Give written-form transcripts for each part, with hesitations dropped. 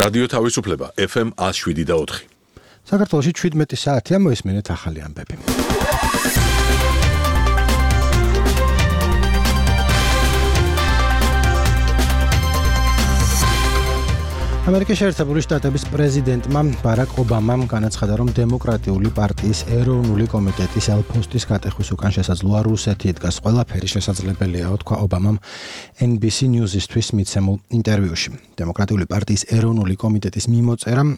რადიო თავისუფლება FM 107.4. საქართველოში 17 საათია მოისმენთ ახალი ამბები. ამერიკის შეერთებული შტატების პრეზიდენტმა ბარაკ ობამამ განაცხადა, რომ დემოკრატიული პარტიის ეროვნული კომიტეტის ელფოსტის გატეხვის უკან შესაძლოა რუსეთი იდგას. ყველაფერი შესაძლებელია, თქვა ობამამ NBC News-ისთვის მიცემულ ინტერვიუში. დემოკრატიული პარტიის ეროვნული კომიტეტის მიმოწერამ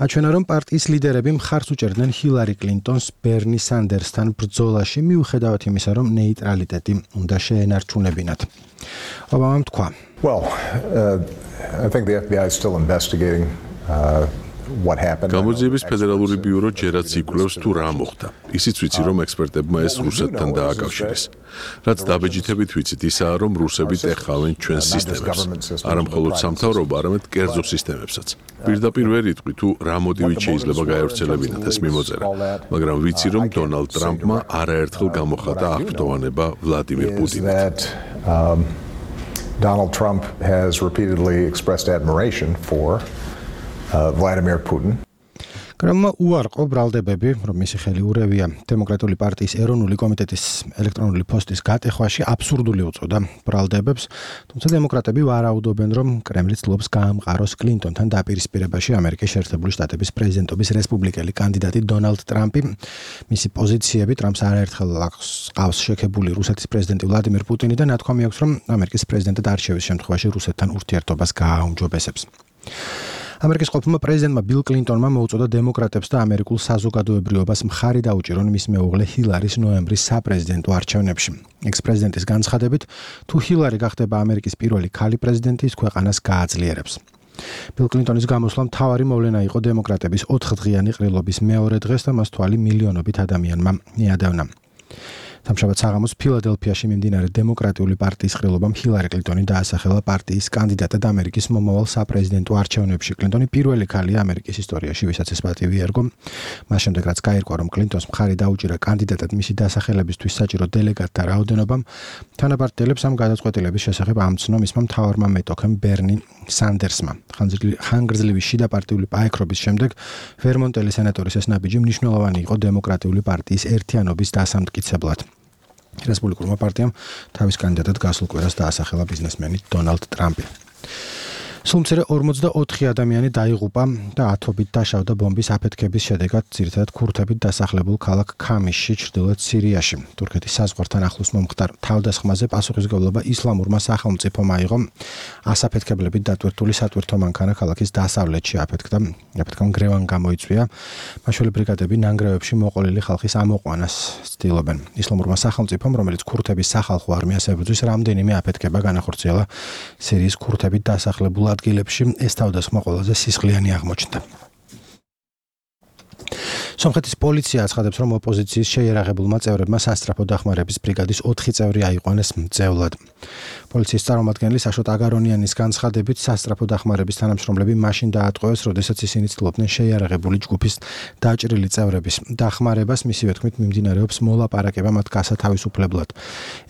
აჩვენა, რომ პარტიის ლიდერები მხარს უჭერდნენ ჰილარი კლინტონს ბერნი სანდერსთან ბრძოლაში, მიუხედავად იმისა, რომ ნეიტრალიტეტი უნდა შეენარჩუნებინათ. ობამამ თქვა: I think the FBI is still investigating what happened. გამოძიების ფედერალური ბიურო ჯერაც იკვლევს თუ რა მოხდა. ისიც ვიცი, რომ ექსპერტებმა ეს რუსეთთან დააკავშირეს. რაც დაბეჯითებით ვიცით, ისაა, რომ რუსები ტეხავენ ჩვენს სისტემებს. არა მხოლოდ სამთავრობო, არამედ კერძო სისტემებსაც. პირდაპირ ვერ იტყვი თუ რა მოტივით შეიძლება გაევრცელებინათ ეს მიმოწერა, მაგრამ ვიცი, რომ დონალდ ტრამპმა არაერთხელ გამოხატა აღფრთოვანება ვლადიმირ პუტინით. Donald Trump has repeatedly expressed admiration for Vladimir Putin. კრემლმა უარყო ბრალდებები, რომ მისი ხელი ურევია დემოკრატიული პარტიის ეროვნული კომიტეტის ელექტრონული პოსტის გატეხვაში აბსურდული უწოდა ბრალდებებს, თუმცა დემოკრატები ვარაუდობენ, რომ კრემლი ცდილობს გაამყაროს კლინტონთან დაპირისპირებაში ამერიკის შეერთებული შტატების პრეზიდენტობის რესპუბლიკელი კანდიდატი დონალდ ტრამპი. მისი პოზიციები ტრამპს არაერთხელ ყავს შექებული რუსეთის პრეზიდენტი ვლადიმირ პუტინი და ნათქვამი აქვს, რომ ამერიკის პრეზიდენტად არჩევის შემთხვევაში რუსეთთან ურთიერთობას გააუმჯობესებს. ამერიკის ყოფილმა პრეზიდენტმა ბილ კლინტონმა მოუწოდა დემოკრატებს და ამერიკულ საზოგადოებრიობას მხარი დაუჭირონ მის მეუღლე ჰილარის ნოემბრის საპრეზიდენტო არჩევნებში. ექს-პრეზიდენტის განცხადებით, თუ ჰილარი გახდება ამერიკის პირველი ქალი პრეზიდენტი, ის ქვეყანას გააძლიერებს. ბილ კლინტონის გამოსვლა მთავარი მოვლენა იყო დემოკრატების 4-დღიანი ყრილობის მეორე დღეს და მას თვალი მილიონობით ადამიანმა მიადევნა. სამშაბათ საღამოს ფილადელფიაში მიმდინარე დემოკრატიული პარტიის ყრილობამ ჰილარი კლინტონი დაასახელა პარტიის კანდიდატად ამერიკის მომავალ საპრეზიდენტო არჩევნებში. კლინტონი პირველი ქალია ამერიკის ისტორიაში, ვისაც ეს პატივი ერგო. მას შემდეგ, რაც გაირკვა, რომ კლინტონს მხარი დაუჭირა კანდიდატად მისი დასახელებისთვის საჭირო დელეგატთა რაოდენობამ, თანაბართელებს ამ გადაწყვეტილების შესახებ ამცნო მისმა მთავარმა მეტოქემ ბერნი სანდერსმა. ხანგრძლივი შიდა პარტიული პაექრობის შემდეგ ვერმონტელი სენატორის ეს ნაბიჯი მნიშვნელოვანი იყო დემოკრატიული პარტიის ერთიანობის დასამტკიცებლად. რესპუბლიკურმა პარტიამ თავის კანდიდატად გასულ კვირას დაასახელა ბიზნესმენი დონალდ ტრამპი. სულ მცირე 44 ადამიანი დაიღუპა და ათობით დაშავდა ბომბის აფეთქების შედეგად ძირითადად ქურთებით დასახლებულ ქალაქ ქამისში, ჩრდილოეთ სირიაში. თურქეთის საზღვართან ახლოს მომხდარ თავდასხმაზე პასუხისმგებლობა ისლამურმა სახელმწიფომ აიღო. ასაფეთქებლებით დატვირთული სატვირთო მანქანა ქალაქის დასავლეთში აფეთქდა. აფეთქამ გრევან გამოიწვია. მაშველე ბრიგადები ნანგრევებში მოყოლილი ხალხის ამოყვანას ცდილობენ. ისლამურმა სახელმწიფომ, რომელიც ქურთების სახალხო არმიას ებრძვის, რამდენიმე აფეთქება განახორციელა სირიის ქურთებით დასახლებულ ადგილებში. ეს თავდასხმა ყველაზე სისხლიანი აღმოჩნდა. სომხეთის პოლიცია აცხადებს, რომ ოპოზიციის შეიარაღებულმა წევრებმა სასტრაფო დახმარების ბრიგადის 4 წევრი აიყვანეს მძევლად. პოლიციის წარმომადგენელი საშოტ აგარონიანის განცხადებით, სასტრაფო დახმარების თანამშრომლები მაშინ დაატყვევეს, როდესაც ისინი ცდილობდნენ შეიარაღებული ჯგუფის დაჭრილი წევრების დახმარებას. მისივე თქმით, მიმდინარეობს მოლაპარაკება მათ გასათავისუფლებლად.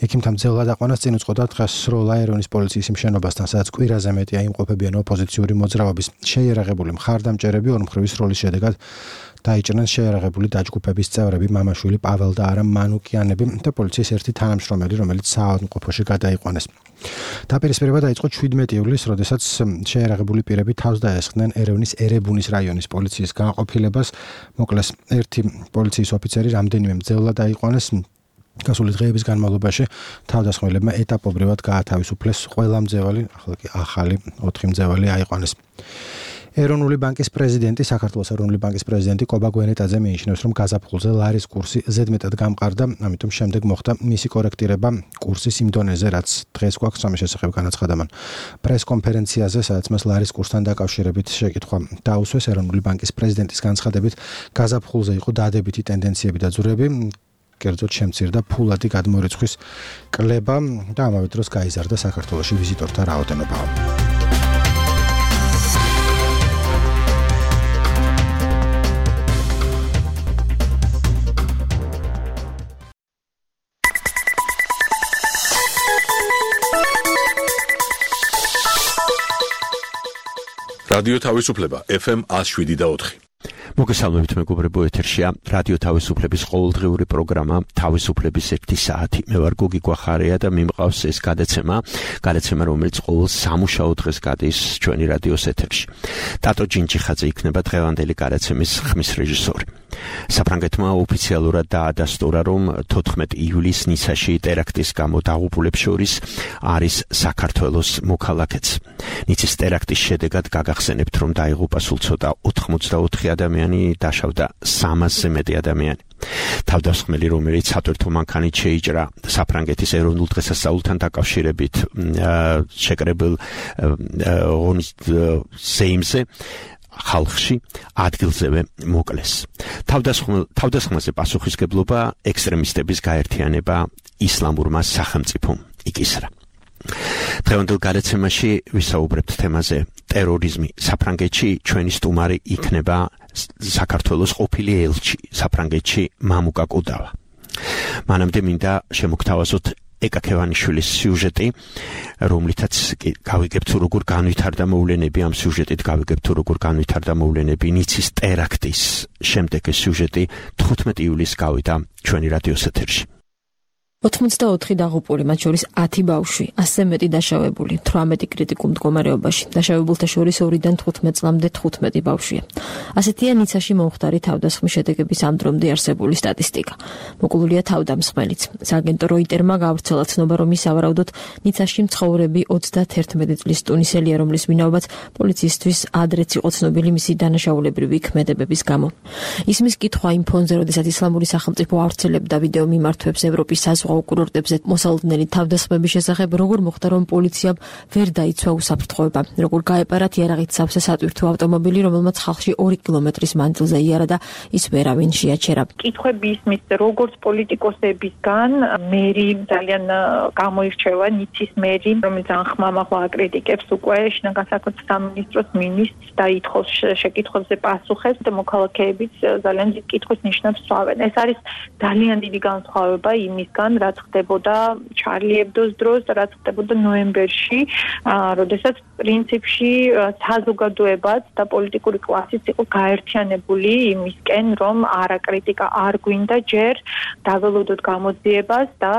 ექიმთა მძევლად აყვანას წინ უძღოდა დღეს სროლა ერევნის პოლიციის იმ შენობასთან, სადაც კვირაზე მეტია იმყოფებიან ოპოზიციური მოძრაობის შეიარაღებული მხარდამჭერები. ორმხრივი სროლის შედეგად დაიჭრნენ შეიარაღებული დაჯგუფების წევრები მამაშვილი პაվել და არამ მანუკიანები და პოლიციის ერთი თანამშრომელი, რომელიც საავადმყოფოში გადაიყვანეს. დაპირისპირება დაიწყო 17 ივლისს, როდესაც შეიარაღებული პირები თავს დაესხდნენ ერევნის ერებუნის რაიონის პოლიციის განყოფილებას. მოკლეს ერთი პოლიციის ოფიცერი, რამდენიმე მძევლად დაიყვანეს. გასული დღეების განმავლობაში თავდასხმელებმა ეტაპობრივად გაათავისუფლეს ყველა მძევალი, ახლა კი ახალი 4 მძევალი აიყვანეს. ეროვნული ბანკის პრეზიდენტი, საქართველოს ეროვნული ბანკის პრეზიდენტი კობა გვენეტაძე მიიჩნევს, რომ გაზაფხულზე ლარის კურსი ზედმეტად გამყარდა, ამიტომ შემდეგ მოხდა მისი კორექტირება კურსის იმ დონეზე, რაც დღეს გვაქვს ამის შესახებ განაცხადა მან. პრესკონფერენციაზე, სადაც მას ლარის კურსთან დაკავშირებით შეკითხვა დაუსვეს, ეროვნული ბანკის პრეზიდენტის განცხადებით, გაზაფხულზე იყო დადებითი ტენდენციები და ძვრები, კერძოდ შემცირდა ფულადი გადმორიცხვის კლება და ამავე დროს გაიზარდა საქართველოში ვიზიტორთა რაოდენობა. რადიო თავისუფლება FM 107.4. მოგესალმებით მეგობრებო, ეთერშია რადიო თავისუფლების ყოველდღიური პროგრამა თავისუფლების 1 საათი. მე ვარ გოგი გვახარია და მიმყავს ეს გადაცემა, რომელიც ყოველ სამუშაო დღეს გადის ჩვენი რადიოს ეთერში. ტატო ჯინჯიხაძე იქნება დღევანდელი გადაცემის ხმის რეჟისორი. საფრანგეთმა ოფიციალურად დაადასტურა, რომ 14 ივლისს ნიცაში ტერაქტის გამო დაღუპულებს შორის არის საქართველოს მოქალაქეც. ნიცის ტერაქტის შედეგად გაგახსენებთ, რომ დაიღუპა სულ ცოტა 84 ადამიანი, დაშავდა 300-ზე მეტი ადამიანი. თავდასხმელი, რომელიც სატვირთო მანქანით შეიჭრა საფრანგეთის ეროვნულ დღესასწაულთან დაკავშირებით შეკრებილ სეიმზე ხალხში ადგილზევე მოკლეს. თავდასხმაზე პასუხისგებლობა ექსტრემისტების გაერთიანება ისლამურმა სახელმწიფომ იკისრა. დღევანდელ გადაცემაში ვისაუბრებთ თემაზე ტერორიზმი საფრანგეთში. ჩვენი სტუმარი იქნება საქართველოს ყოფილი ელჩი საფრანგეთში მამუკა კუდავა. მანამდე მინდა შემოგთავაზოთ ეკაკევანიშვილის სიუჟეტი, რომლითაც გავიგებთ როგორ განვითარდა მოვლენები, ამ სიუჟეტით გავიგებთ როგორ განვითარდა მოვლენები ნიცის ტერაქტის შემდეგ. ეს სიუჟეტი 15 ივლისს გავიდა ჩვენი რადიოს ეთერში. 84 დაღუპული, მათ შორის 10 ბავშვი, 100-ზე მეტი დაშავებული, 18 კრიტიკულ მდგომარეობაში. დაშავებულთა შორის 2-დან 15 წლამდე 15 ბავშვია. ასეთია ნიცაში მომხდარი თავდასხმის შედეგების ამ დრომდე არსებული სტატისტიკა. მოკლულია თავდამსხმელიც. სააგენტო როიტერმა გავრცელა ცნობა, რომ ის ავარაუდოდ ნიცაში მცხოვრები 31 წლის ტუნისელია, რომლის ვინაობაც პოლიციისთვის ადრეც იყო ცნობილი მისი დანაშაულებრივი ქმედებების გამო. ისმის კითხვა იმ ფონზე, როდესაც ისლამური სახელმწიფო ავრცელებდა ვიდეო მიმართვებს ევროპის საზღვაო კურორტებზე მოსალოდნელი თავდასხმების შესახებ, როგორ მოხდა, რომ პოლიციამ ვერ დაიცვა უსაფრთხოება, როგორ გაეპარა თიარაღით სავსე სატვირთო ავტომობილი, რომელმაც ხალხში 2 კილომეტრის მანძილზე იარა და ის ვერავინ შეაჩერა. კითხვები ისმის, როგორც პოლიტიკოსებისგან, მერი ძალიან გამოირჩევა, ნიცის მერი, რომელიც ახმამაღლა აკრიტიკებს უკვე შინაგან საქმეთა სამინისტროს მინისტრს და ითხოვს შეკითხვებზე პასუხებს და მოქალაქეებიც ძალიან დიდ კითხვის ნიშნებს სვავენ. ეს არის ძალიან დიდი განსხვავება იმისგან, რაც ხდებოდა ჩარლი ებდოს დროს და რაც ხდებოდა ნოემბერში, როდესაც პრინციპში საზოგადოებაც და პოლიტიკური კლასიც იყო გაერთიანებული იმისკენ, რომ არა კრიტიკა არ გვინდა ჯერ დაველოდოთ გამოძიებას და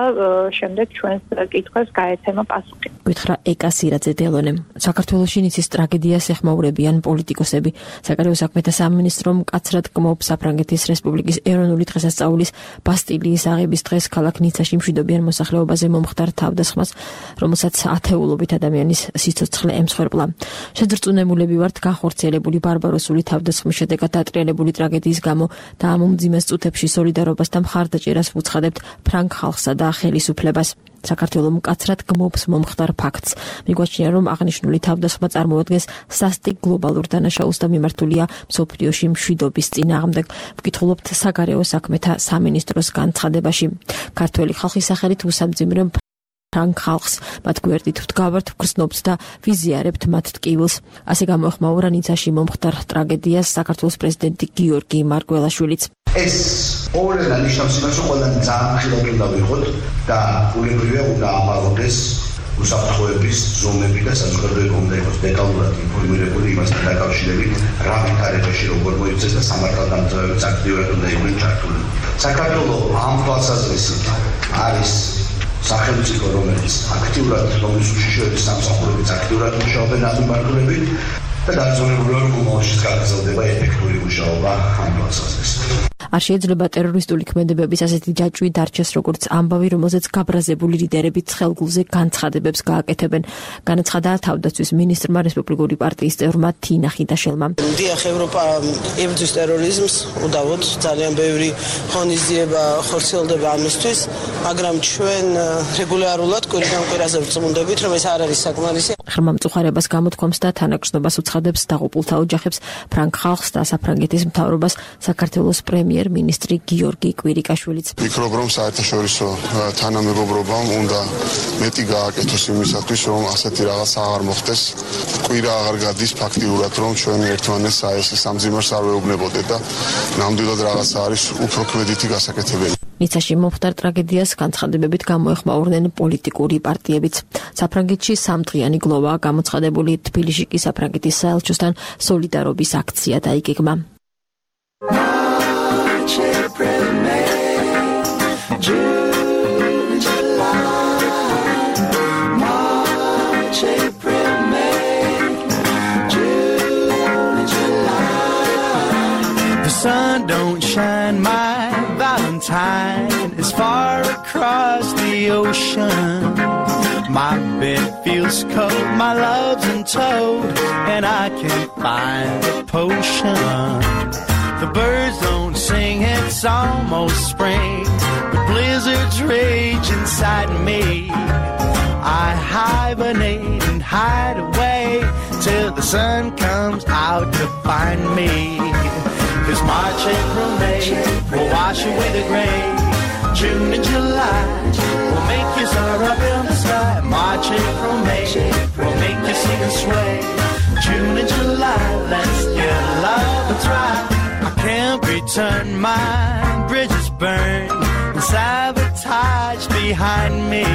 შემდეგ ჩვენს კითხვებს გაეცემა პასუხი. გითხრა ეკა სირაძე დელონემ. საქართველოში ნიცის ტრაგედიას ეხმაურებიან პოლიტიკოსები. საგარეო საქმეთა სამინისტრომ მკაცრად გმობს საფრანგეთის რესპუბლიკის ეროვნული დღესასწაულის ბასტილიის აღების დღეს ქალაქ ნიცაში მშვიდობიან მოსახლეობაზე მომხდარ თავდასხმას, რომელსაც ათეულობით ადამიანის სიცოცხლე ემსხვერპლა. შეძრწუნებულები ვართ განხორციელებული ბარბაროსული თავდასხმის შედეგად დატრიალებული ტრაგედიის გამო და ამ უმძიმეს წუთებში სოლიდარობას და მხარდაჭერას ვუცხადებთ ფრანგ ხალხსა და ხელისუფლებას. საქართველო მკაცრად გმობს მომხდარ ფაქტს. მიგვაჩნია, რომ აღნიშნული თავდასხმა წარმოადგენს სასტიკ გლობალურ დანაშაულს და მიმართულია მსოფლიოში მშვიდობის წინააღმდეგ. ვკითხულობთ საგარეო საქმეთა სამინისტროს განცხადებაში. ქართველი ხალხის სახელით უსამძიმრებ ფრანგ ხალხს, მათ გვერდით ვდგავართ, ვგრძნობთ და ვიზიარებთ მათ ტკივილს. ასე გამოეხმაურა ნიცაში მომხდარ ტრაგედიას საქართველოს პრეზიდენტი გიორგი მარგველაშვილიც. ეს ყოველდღე ნიშნავს იმას, რომ ყველანი ძალიან ხილად უნდა ვიყოთ და ულებრივია უნდა ამაღლდეს უსაფრთხოების ზომები და საზოგადოება უნდა იყოს დეტალურად ინფორმირებული იმასთან დაკავშირებით, რა ვითარებაში როგორ მოიქცეს და სამართალდამცავებიც აქტიურად უნდა იყვნენ ჩართული. საქართველოს ამ თვალსაზრისით არის სახელმწიფო, რომელიც აქტიურად რომლის უშიშროების სამსახურებიც აქტიურად მუშაობენ ამ მიმართულებით და დარწმუნებულია, რომ მომავალშიც გაგრძელდება ეფექტური მუშაობა ამ თვალსაზრისით. არ შეიძლება ტერორისტული ქმედებების ასეთი ჯაჭვი დარჩეს როგორც ამბავი, რომელზეც გაბრაზებული ლიდერები ცხელგულზე განცხადებებს გააკეთებენ. განაცხადა თავდაცვის მინისტრმა რესპუბლიკური პარტიის წევრმა თინა ხიდაშელმა. დიახ, ევროპა ებრძვის ტერორიზმს, უდავოდ ძალიან ბევრი ღონისძიება ხორციელდება ამისთვის, მაგრამ ჩვენ რეგულარულად კვირიდან კვირაზე ვწმუნდებით, რომ ეს არ არის საკმარისი. ღრმა მწუხარებას გამოთქვამს და თანაგრძნობას უცხადებს დაღუპულთა ოჯახებს, ფრანგ ხალხს და საფრანგეთის მთავრობას საქართველოს პრემიერ-მინისტრი გიორგი კვირიკაშვილიც. ვფიქრობ, რომ საერთაშორისო თანამეგობრობამ უნდა მეტი გააკეთოს იმისათვის, რომ ასეთი რაღაც აღარ მოხდეს. კვირა აღარ გადის ფაქტიურად, რომ ჩვენი ერთმანეთს ეს სამძიმარს არ ვეუბნებოდეთ და ნამდვილად რაღაცა არის უფრო ქმედითი გასაკეთებელი. ნიცაში მომხდარ ტრაგედიას განცხადებებით გამოეხმაურნენ პოლიტიკური პარტიებიც. საფრანგეთში 3 დღიანი გლოვაა გამოცხადებული, თბილისში კი საფრანგეთის საელჩოსთან სოლიდარობის აქცია დაიგეგმა. The sun don't shine, my Valentine is far across the ocean. My bed feels cold, my love's in toad, and I can't find a potion. The birds don't sing, it's almost spring, but blizzards rage inside me. I hibernate and hide away till the sun comes out to find me. 'Cause March, April, May will wash away the gray. June and July will make you soar up in the sky. March, April, May will make you sing and sway. June and July, let's give love a try. I can't return, my bridges burn and sabotage behind me.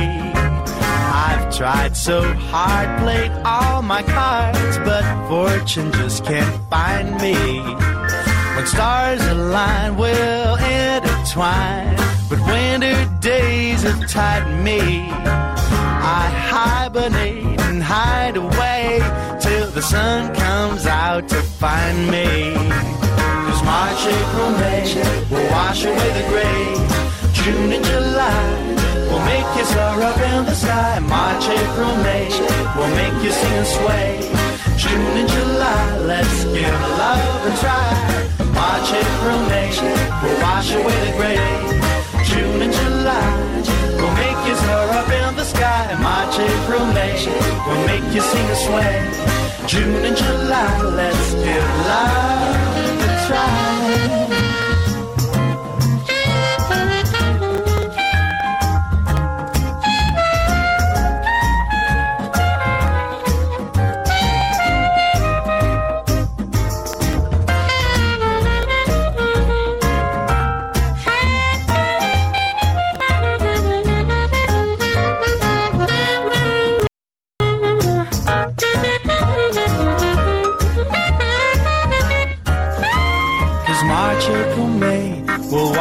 I've tried so hard, played all my cards, but fortune just can't find me. When stars align, we'll intertwine, but winter days have tied me. I hibernate and hide away till the sun comes out to find me. 'Cause March, April, May will wash away the gray. June and July will make you soar up in the sky. March, April, May will make you sing and sway. June and July, let's give love a try. March, April, May will wash away the gray. June and July will make you soar up in the sky. March, April, May will make you sing and sway. June and July, let's give love a try.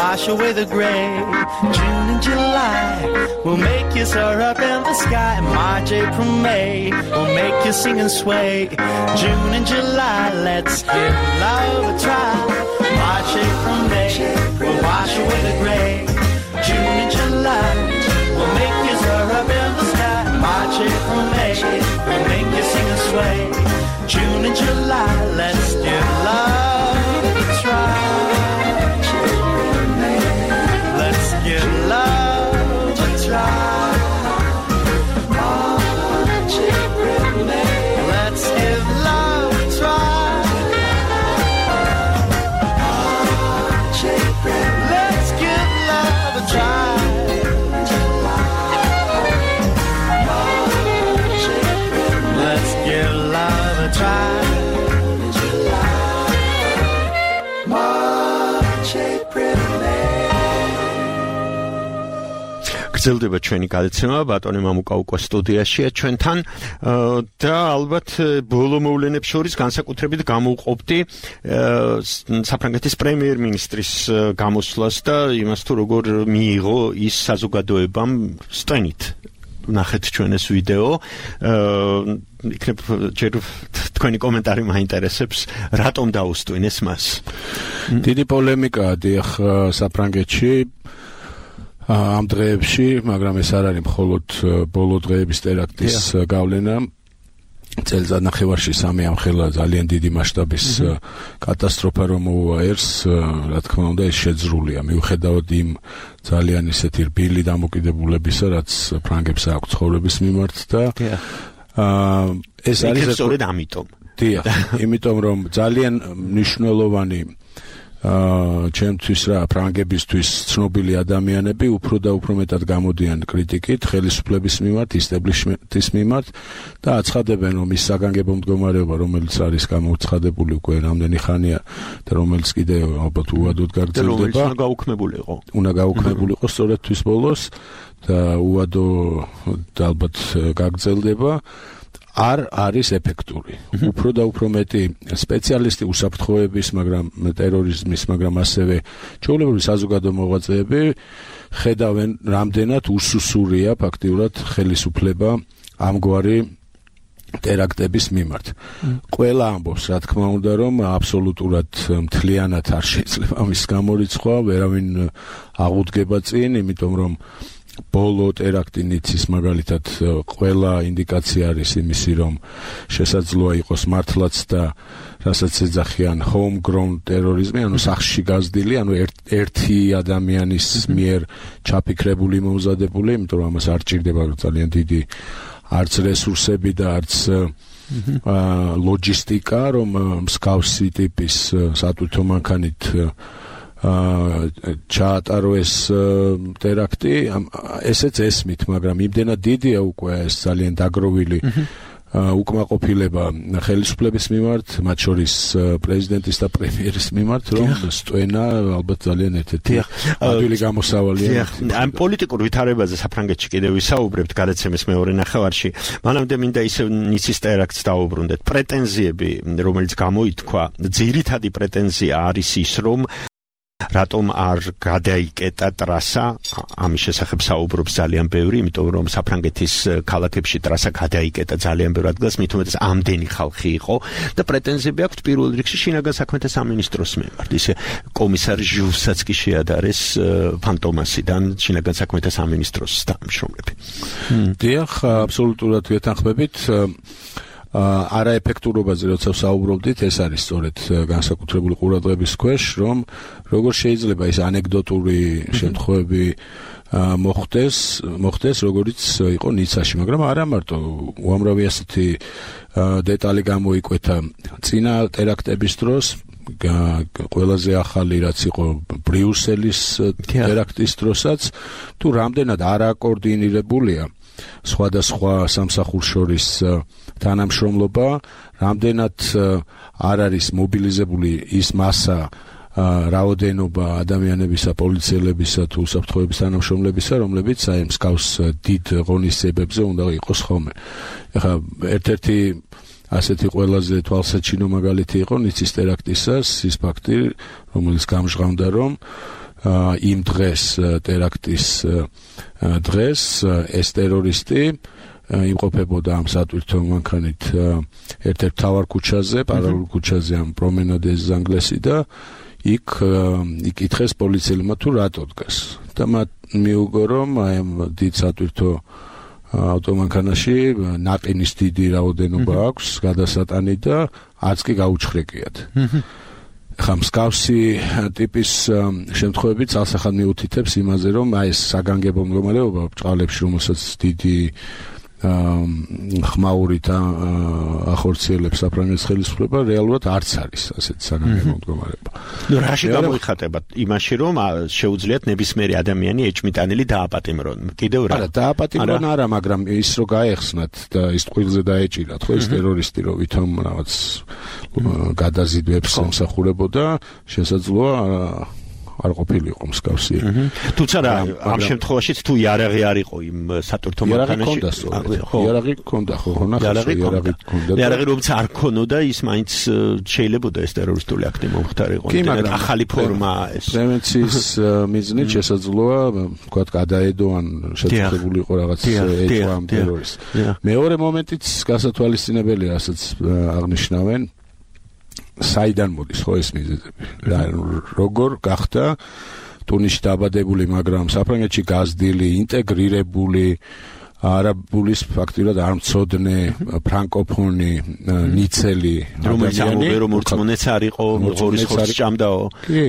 Wash away the gray. June and July will make you soar up in the sky. March, April, May will make you sing and sway. June and July, let's give love a try. March, April, May will wash away the gray. June and July will make you soar up in the sky. March, April, May will make you sing and sway. June and July, let's give love a try. Give love a try. March, April, May. Let's give love a try. March, April, let's give love a try. March, April, let's give love a try. March, April, May. გრძელდება ჩვენი გადაცემა, ბატონი მამუკა უკვე სტუდიაშია ჩვენთან და ალბათ ბოლო მოვლენებს შორის განსაკუთრებით გამოვყოფდი საფრანგეთის პრემიერ-მინისტრის გამოსვლას და იმას თუ როგორ მიიღო ის საზოგადოებამ სტენით. ნახეთ ჩვენ ეს ვიდეო. იქნებ ჯერ თქვენი კომენტარი მაინტერესებს, რატომ დაუსტვინეს მას? დიდი პოლემიკაა დიახ საფრანგეთში ამ დღეებში, მაგრამ ეს არ არის მხოლოდ ბოლო დღეების ტერაქტის გავლენა. წელიწად ნახევარში სამი ამხელა ძალიან დიდი მასშტაბის კატასტროფა რომ მოუვა ერს, რა თქმა უნდა ეს შეძრულია მიუხედავად იმ ძალიან ისეთი რბილი დამოკიდებულებისა, რაც ფრანგებს აქვს ცხოვრების მიმართ და ეს არის სწორედ ამიტომ. დიახ, იმიტომ რომ ძალიან მნიშვნელოვანი ჩემთვის რა ფრანგებისთვის ცნობილი ადამიანები უფრო და უფრო მეტად გამოდიან κρიტიკით ხელისუფლების მიმართ, ისტებლიშმენტის მიმართ და აცხადებენ, რომ ის საგანგებო მდგომარეობა, რომელიც არის გამოუცხადებული უკვე რამდენი ხანია და რომელიც კიდე ალბათ უადოდ გაგრძელდება, უნდა გაუქმებულიყო სწორედ თვის ბოლოს და უადო ალბათ გაგრძელდება. არ არის ეფექტური. უფრო და უფრო მეტი სპეციალისტი უსაფრთხოების, მაგრამ ტერორიზმის, მაგრამ ასევე ჩვეულებრივი საზოგადო მოღვაწეები ხედავენ, რამდენად უსუსურია ფაქტიურად ხელისუფლება ამგვარი ტერაქტების მიმართ. ყველა ამბობს, რა თქმა უნდა, რომ აბსოლუტურად მთლიანად არ შეიძლება ამის გამორიცხვა, ვერავინ აღუდგება წინ, იმიტომ რომ ბოლო ტერაქტი ნიცის მაგალითად ყველა ინდიკაცია არის იმისი, რომ შესაძლოა იყოს მართლაც და რასაც ეძახიან homegrown ტერორიზმი, ანუ სახლში გაზრდილი, ანუ ერთი ადამიანის მიერ ჩაფიქრებული, მომზადებული, იმიტომ რომ ამას არ ჭირდება ძალიან დიდი არც რესურსები და არც ლოჯისტიკა, რომ მსგავსი ტიპის სატვირთო მანქანით ჩაატაროს ტერაქტი, ესეც ესმით, მაგრამ იმდენად დიდია უკვე ეს ძალიან დაგროვილი უკმაყოფილება ხელისუფლების მიმართ, მათ შორის პრეზიდენტის და პრემიერის მიმართ, რომ სტვენა ალბათ ძალიან ერთ-ერთი ადვილი გამოსავალია. ამ პოლიტიკურ ვითარებაზე საფრანგეთში კიდევ ვისაუბრებთ გადაცემის მეორე ნახევარში. მანამდე მინდა ისევ ნიცის ტერაქტს დაუბრუნდეთ. პრეტენზიები, რომელიც გამოითქვა, ძირითადი პრეტენზია არის ის, რომ რატომ არ გადაიკეტა ტრასა, ამის შესახებ საუბრობს ძალიან ბევრი, იმიტომ რომ საფრანგეთის ქალაქებში ტრასა გადაიკეტა ძალიან ბევრ ადგილას, მით უმეტეს ამდენი ხალხი იყო და პრეტენზიები აქვს პირველ რიგში შინაგან საქმეთა სამინისტროს მიმართ. ისე კომისარ ჟუვსაც კი შეადარეს ფანტომასიდან შინაგან საქმეთა სამინისტროს თანამშრომლები. დიახ, აბსოლუტურად ვეთანხმებით. არაეფექტურობაზე როცა საუბრობდით, ეს არის სწორედ განსაკუთრებული ყურადღების ქვეშ, რომ როგორ შეიძლება ის ანეკდოტური შემთხვევები მოხდეს, როგორიც იყო ნიცაში, მაგრამ არა მარტო, უამრავი ასეთი დეტალი გამოიკვეთა წინა ტერაქტების დროს. ყველაზე ახალი რაც იყო ბრიუსელის ტერაქტის დროსაც, თუ რამდენად არაკოორდინირებულია სხვადასხვა სამსახურს შორის თანამშრომლობა, რამდენად არ არის მობილიზებული ის მასა, რაოდენობა ადამიანებისა, პოლიციელებისა თუ უსაფრთხოების თანამშრომლებისა, რომლებიც აი მსგავს დიდ ღონისძიებებზე უნდა იყოს ხოლმე. ეხლა ერთ-ერთი ასეთი ყველაზე თვალსაჩინო მაგალითი იყო ნიცის ტერაქტისას ის ფაქტი, რომელიც გამჟღავნდა, რომ იმ დღეს ტერაქტის დღეს ეს ტერორისტი იმყოფებოდა ამ სატვირთო მანქანით ერთ-ერთ მთავარ ქუჩაზე, პარალელურ ქუჩაზე ამ პრომენადე ზანგლესი და იქ იკითხეს პოლიციელმა თუ რატო დგას. და მათ მიუგო, რომ აი ამ დიდ სატვირთო ავტომანქანაში ნაყინის დიდი რაოდენობა აქვს გადასატანი და არც კი გაუჩხრეკიათ. ხა მსგავსი ტიპის შემთხვევები ცალსახად მიუთითებს იმაზე, რომ აი ეს საგანგებო მდგომარეობა ბჭყალებში, რომელსაც დიდი ხმაურით ახორციელებს საფრანგეთის ხელისუფლება, რეალურად არც არის ასეთი საგანგებო მდგომარეობა. რაში გამოიხატება? იმაში, რომ შეუძლიათ ნებისმიერი ადამიანი ეჭმიტანილი დააპატიმრონ. კიდევ რა? არა, დააპატიმრონ არა, მაგრამ ის რო გაეხსნათ და ის ტყუილზე დაეჭირათ, ხო, ეს ტერორისტი რო ვითომ რაღაც გადაზიდვებს ემსახურებოდა, შესაძლოა არ ყოფილიყო მსგავსი. თუმცა რა, ამ შემთხვევაშიც თუ იარაღი არ იყო იმ სატვირთო მანქანაში, იარაღი ჰქონდა, ხო, იარაღი ჰქონდა. იარაღი რომელიც არ ქონოდა, ის მაინც შეიძლებოდა ეს ტერორისტული აქტი მომხდარიყო. ახალი ფორმა ეს. პრევენციის მიზნით შესაძლოა, თქვათ, გადაედო ან შეწყებული იყო რაღაც ეჭვა ამ ტერორისტს. მეორე მომენტიც გასათვალისწინებელია, რასაც აღნიშნავენ. საიდან მოდის ხო ეს მიზეზები? როგორ გახდა ტუნისში დაბადებული, მაგრამ საფრანგეთში გაზრდილი, ინტეგრირებული არაბულის ფაქტიურად არ მცოდნე ფრანკოფონი ნიცელი ადამიანი, რომ მორწმუნეც არ იყო, ღორის ხორცს ჭამდაო. კი.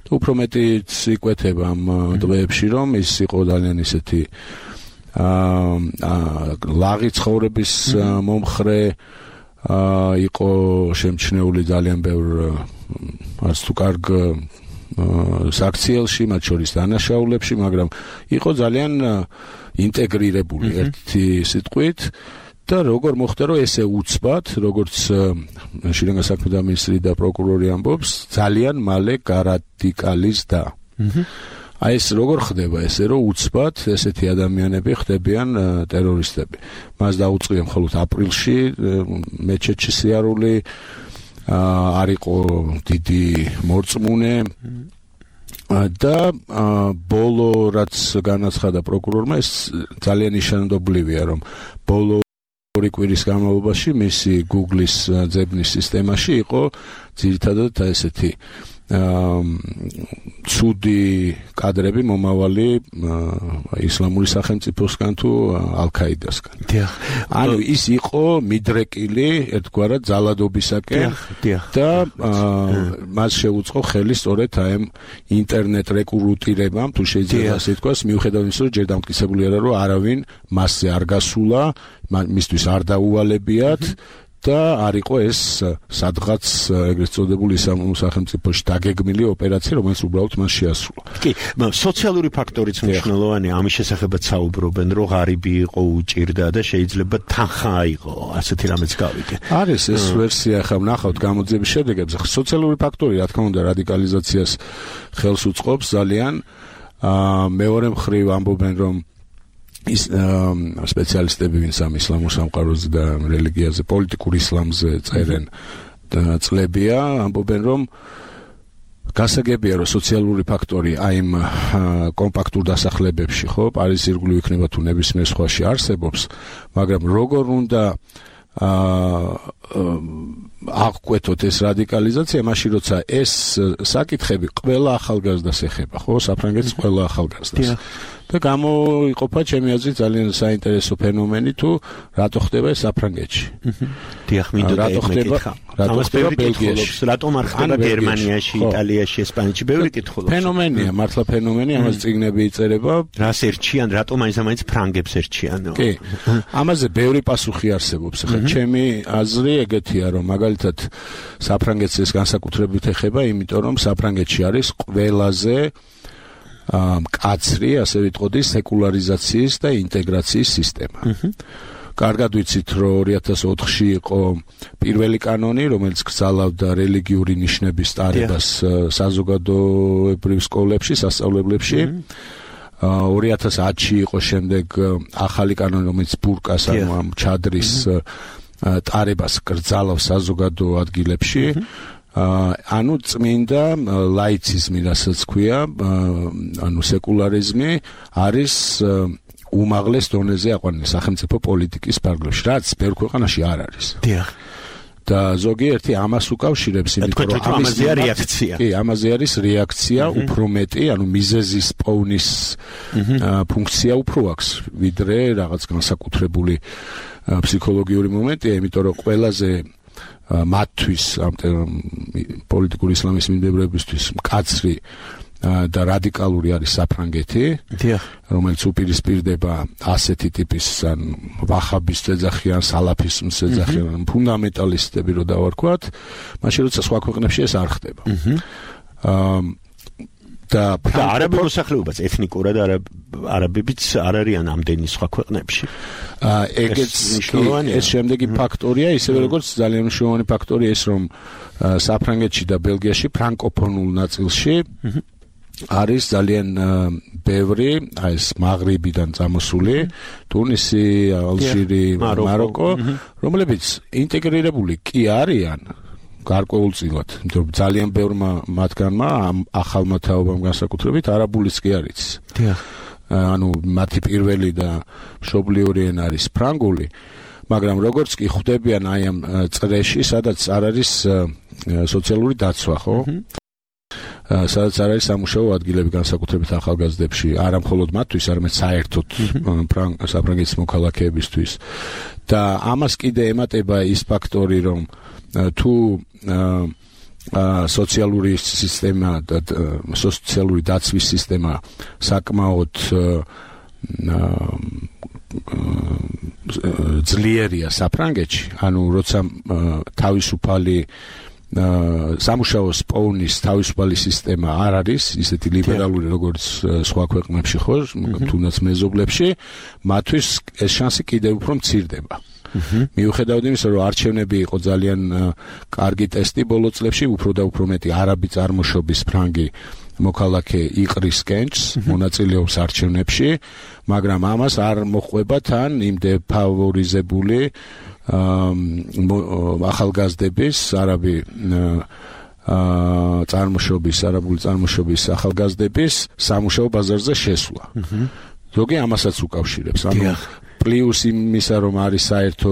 უფრო მეტიც იკვეთება ამ დღეებში, რომ ის იყო ძალიან ისეთი ლაღი ცხოვრების მომხრე იყო შემჩნეული ძალიან ბევრ არც თუ კარგ საქციელში, მათ შორის დანაშაულებში, მაგრამ იყო ძალიან ინტეგრირებული ერთი სიტყვით და როგორ მოხდა რომ ესე უცბად, როგორც შინაგან საქმეთა მინისტრი და პროკურორი ამბობს, ძალიან მალე გარადიკალიზდა. აი ეს როგორ ხდება ესე რომ უცბად ესეთი ადამიანები ხდებიან ტერორისტები. მას დაუწყია მხოლოდ აპრილში მეჩეთში სიარული არ იყო დიდი მორწმუნე და ბოლო რაც განაცხადა პროკურორმა ეს ძალიან ნიშანდობლივია რომ ბოლო ორი კვირის განმავლობაში მისი Google-ის ძებნის სისტემაში იყო ძირითადად ესეთი ცუდი კადრები მომავალი ისლამური სახელმწიფოსგან თუ ალ-ქაიდასგან. ანუ ის იყო მიდრეკილი ერთგვარად ძალადობისაკენ და მას შეუწყო ხელი სწორედ აი ამ ინტერნეტ რეკრუტირებამ, თუ შეიძლება ასე თქვას, მიუხედავად იმისა, რომ ჯერ დამტკიცებული არა, რომ არავინ მასზე არ გასულა, მისთვის არ დაუვალებიათ და არ იყო ეს სადღაც ეგრეთ წოდებული ისლამურ სახელმწიფოში დაგეგმილი ოპერაცია, რომელიც უბრალოდ მას შეასრულა. კი, სოციალური ფაქტორიც მნიშვნელოვანია, ამის შესახებაც საუბრობენ, რომ ღარიბი იყო, უჭირდა და შეიძლება თანხა იყო, ასეთი რამეც გავიგე. არის ეს ვერსია, ახლა ვნახავთ გამოძიების შედეგებს. სოციალური ფაქტორი, რა თქმა უნდა, რადიკალიზაციას ხელს უწყობს ძალიან. მეორე მხრივ ამბობენ, რომ ის სპეციალისტები ვინც ამ ისლამურ სამყაროზე და რელიგიაზე, პოლიტიკურ ისლამზე წერენ წლებია, ამბობენ რომ გასაგებია რომ სოციალური ფაქტორი აი იმ კომპაქტურ დასახლებებში, ხო, პარიზის ირგვლივ იქნება თუ ნებისმიერ სხვაში არსებობს, მაგრამ როგორ უნდა აღკვეთოთ ეს რადიკალიზაცია, მაშინ როცა ეს საკითხები ყველა ახალგაზრდას ეხება, ხო, საფრანგეთის ყველა ახალგაზრდას. და გამოიყოფა ჩემი აზრით ძალიან საინტერესო ფენომენი თუ რატო ხდება ეს საფრანგეთში. დიახ, მინდოდა ეკითხა. რატო ხდება ბელგიაში? რატომ არ ხდება გერმანიაში, იტალიაში, ესპანეთში? ბევრი კითხულობს. ფენომენია, მართლა ფენომენი, ამას წიგნები იწერება. რას ერჩიან, რატომ მაინც ფრანგებს ერჩიან? კი. ამაზე ბევრი პასუხი არსებობს. ახლა ჩემი აზრი ეგეთია, რომ მაგალითად საფრანგეთს ეს განსაკუთრებით ეხება, იმიტომ რომ საფრანგეთში არის ყველაზე მკაცრი, ასე ვიტყოდი, სეკულარიზაციის და ინტეგრაციის სისტემა. კარგად ვიცით, რომ 2004-ში იყო პირველი კანონი, რომელიც გრძალავდა რელიგიური ნიშნების ტარებას საზოგადოებრივ სკოლებში, სასწავლებლებში. 2010-ში იყო შემდეგ ახალი კანონი, რომელიც ბურკას, ანუ ამ ჩადრის ტარებას გრძალავს საზოგადო ადგილებში. ანუ წმინდა ლაიციზმი, რასაც ქვია, ანუ სეკულარიზმი არის უმაღლეს დონეზე აყვანილი სახელმწიფო პოლიტიკის ფარგლებში, რაც ბევრ ქვეყანაში არ არის. დიახ. და ზოგიერთი ამას უკავშირებს, იმიტომ რომ ამაზე რეაქცია. კი, ამაზე არის რეაქცია უფრო მეტი, ანუ მიზეზის პოვნის ფუნქცია უფრო აქვს, ვიდრე რაღაც განსაკუთრებული ფსიქოლოგიური მომენტია, იმიტომ რომ ყველაზე მათთვის ამ პოლიტიკური ისლამის მიმდევრებისთვის მკაცრი და რადიკალური არის საფრანგეთი, რომელიც უპირისპირდება ასეთი ტიპის ან ვაჰაბის ძეძახიან, სალაფიზმის ძეძახიან, ფუნდამენტალისტები რო დავარქვათ, მაშინ როცა სხვა ქვეყნებში ეს არ ხდება. და არაბულ მოსახლეობაც ეთნიკურად არაბებიც არ არიან ამდენი სხვა ქვეყნებში. ეგეც ეს შემდეგი ფაქტორია, ისევე როგორც ძალიან მნიშვნელოვანი ფაქტორია ის, რომ საფრანგეთში და ბელგიაში ფრანკოფონულ ნაწილში არის ძალიან ბევრი, აი ეს მაღრიბიდან წამოსული, ტუნისი, ალჟირი, მაროკო, რომლებიც ინტეგრირებული კი არიან გარკვეულწილად, იმიტომ რომ ძალიან ბევრმა მათგანმა ამ ახალმა თაობამ განსაკუთრებით არაბულიც კი არის. ანუ მათი პირველი და მშობლიური ენა არის ფრანგული, მაგრამ როგორც კი ხვდებიან აი ამ წრეში, სადაც არ არის სოციალური დაცვა, ხო? სადაც არ არის სამუშაო ადგილები განსაკუთრებით ახალგაზრდებში, არა მხოლოდ მათთვის, არამედ საერთოდ საფრანგეთის მოქალაქეებისთვის. და ამას კიდე ემატება ის ფაქტორი, რომ თუ სოციალური სისტემა და სოციალური დაცვის სისტემა საკმაოდ ძლიერია საფრანგეთში, ანუ როცა თავისუფალი სამუშაოს პოვნის თავისუფალი სისტემა არ არის, ისეთი ლიბერალური როგორც სხვა ქვეყნებში ხო, თუნდაც მეზობლებში, მათთვის ეს შანსი კიდევ უფრო მცირდება. მიუხედავად იმისა, რომ არჩევნები იყო ძალიან კარგი ტესტი ბოლო წლებში, უფრო და უფრო მეტი არაბი წარმოშობის ფრანგი მოქალაქე იყრის კენჭს, მონაწილეობს არჩევნებში, მაგრამ ამას არ მოჰყვება თან იმ დეფავორიზებული ახალგაზრდების არაბი არაბული წარმოშობის ახალგაზრდების სამუშაო ბაზარზე შესვლა. ზოგი ამასაც უკავშირებს. ანუ პლუს იმისა, რომ არის საერთო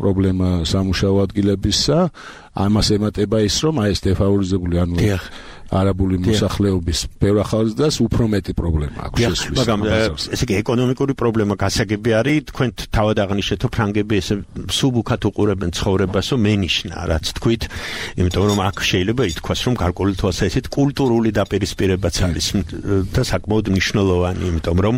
პრობლემა სამუშაო ადგილებისა, ამას ემატება ის, რომ ეს დეფავორიზებული ანუ არაბული მოსახლეობის ბევრ ახალგაზრდას უფრო მეტი პრობლემა აქვს შესვლის. მაგრამ ესე იგი ეკონომიკური პრობლემა გასაგები არის, თქვენ თავად აღნიშნეთ, რომ ფრანგები ესე სუბუქად უყურებენ ცხოვრებას, რომ მენიშნა, რაც თქვით, იმიტომ რომ აქ შეიძლება ითქვას, რომ გარკვეული თვალსაზრისით კულტურული დაპირისპირებაც არის და საკმაოდ მნიშვნელოვანი, იმიტომ რომ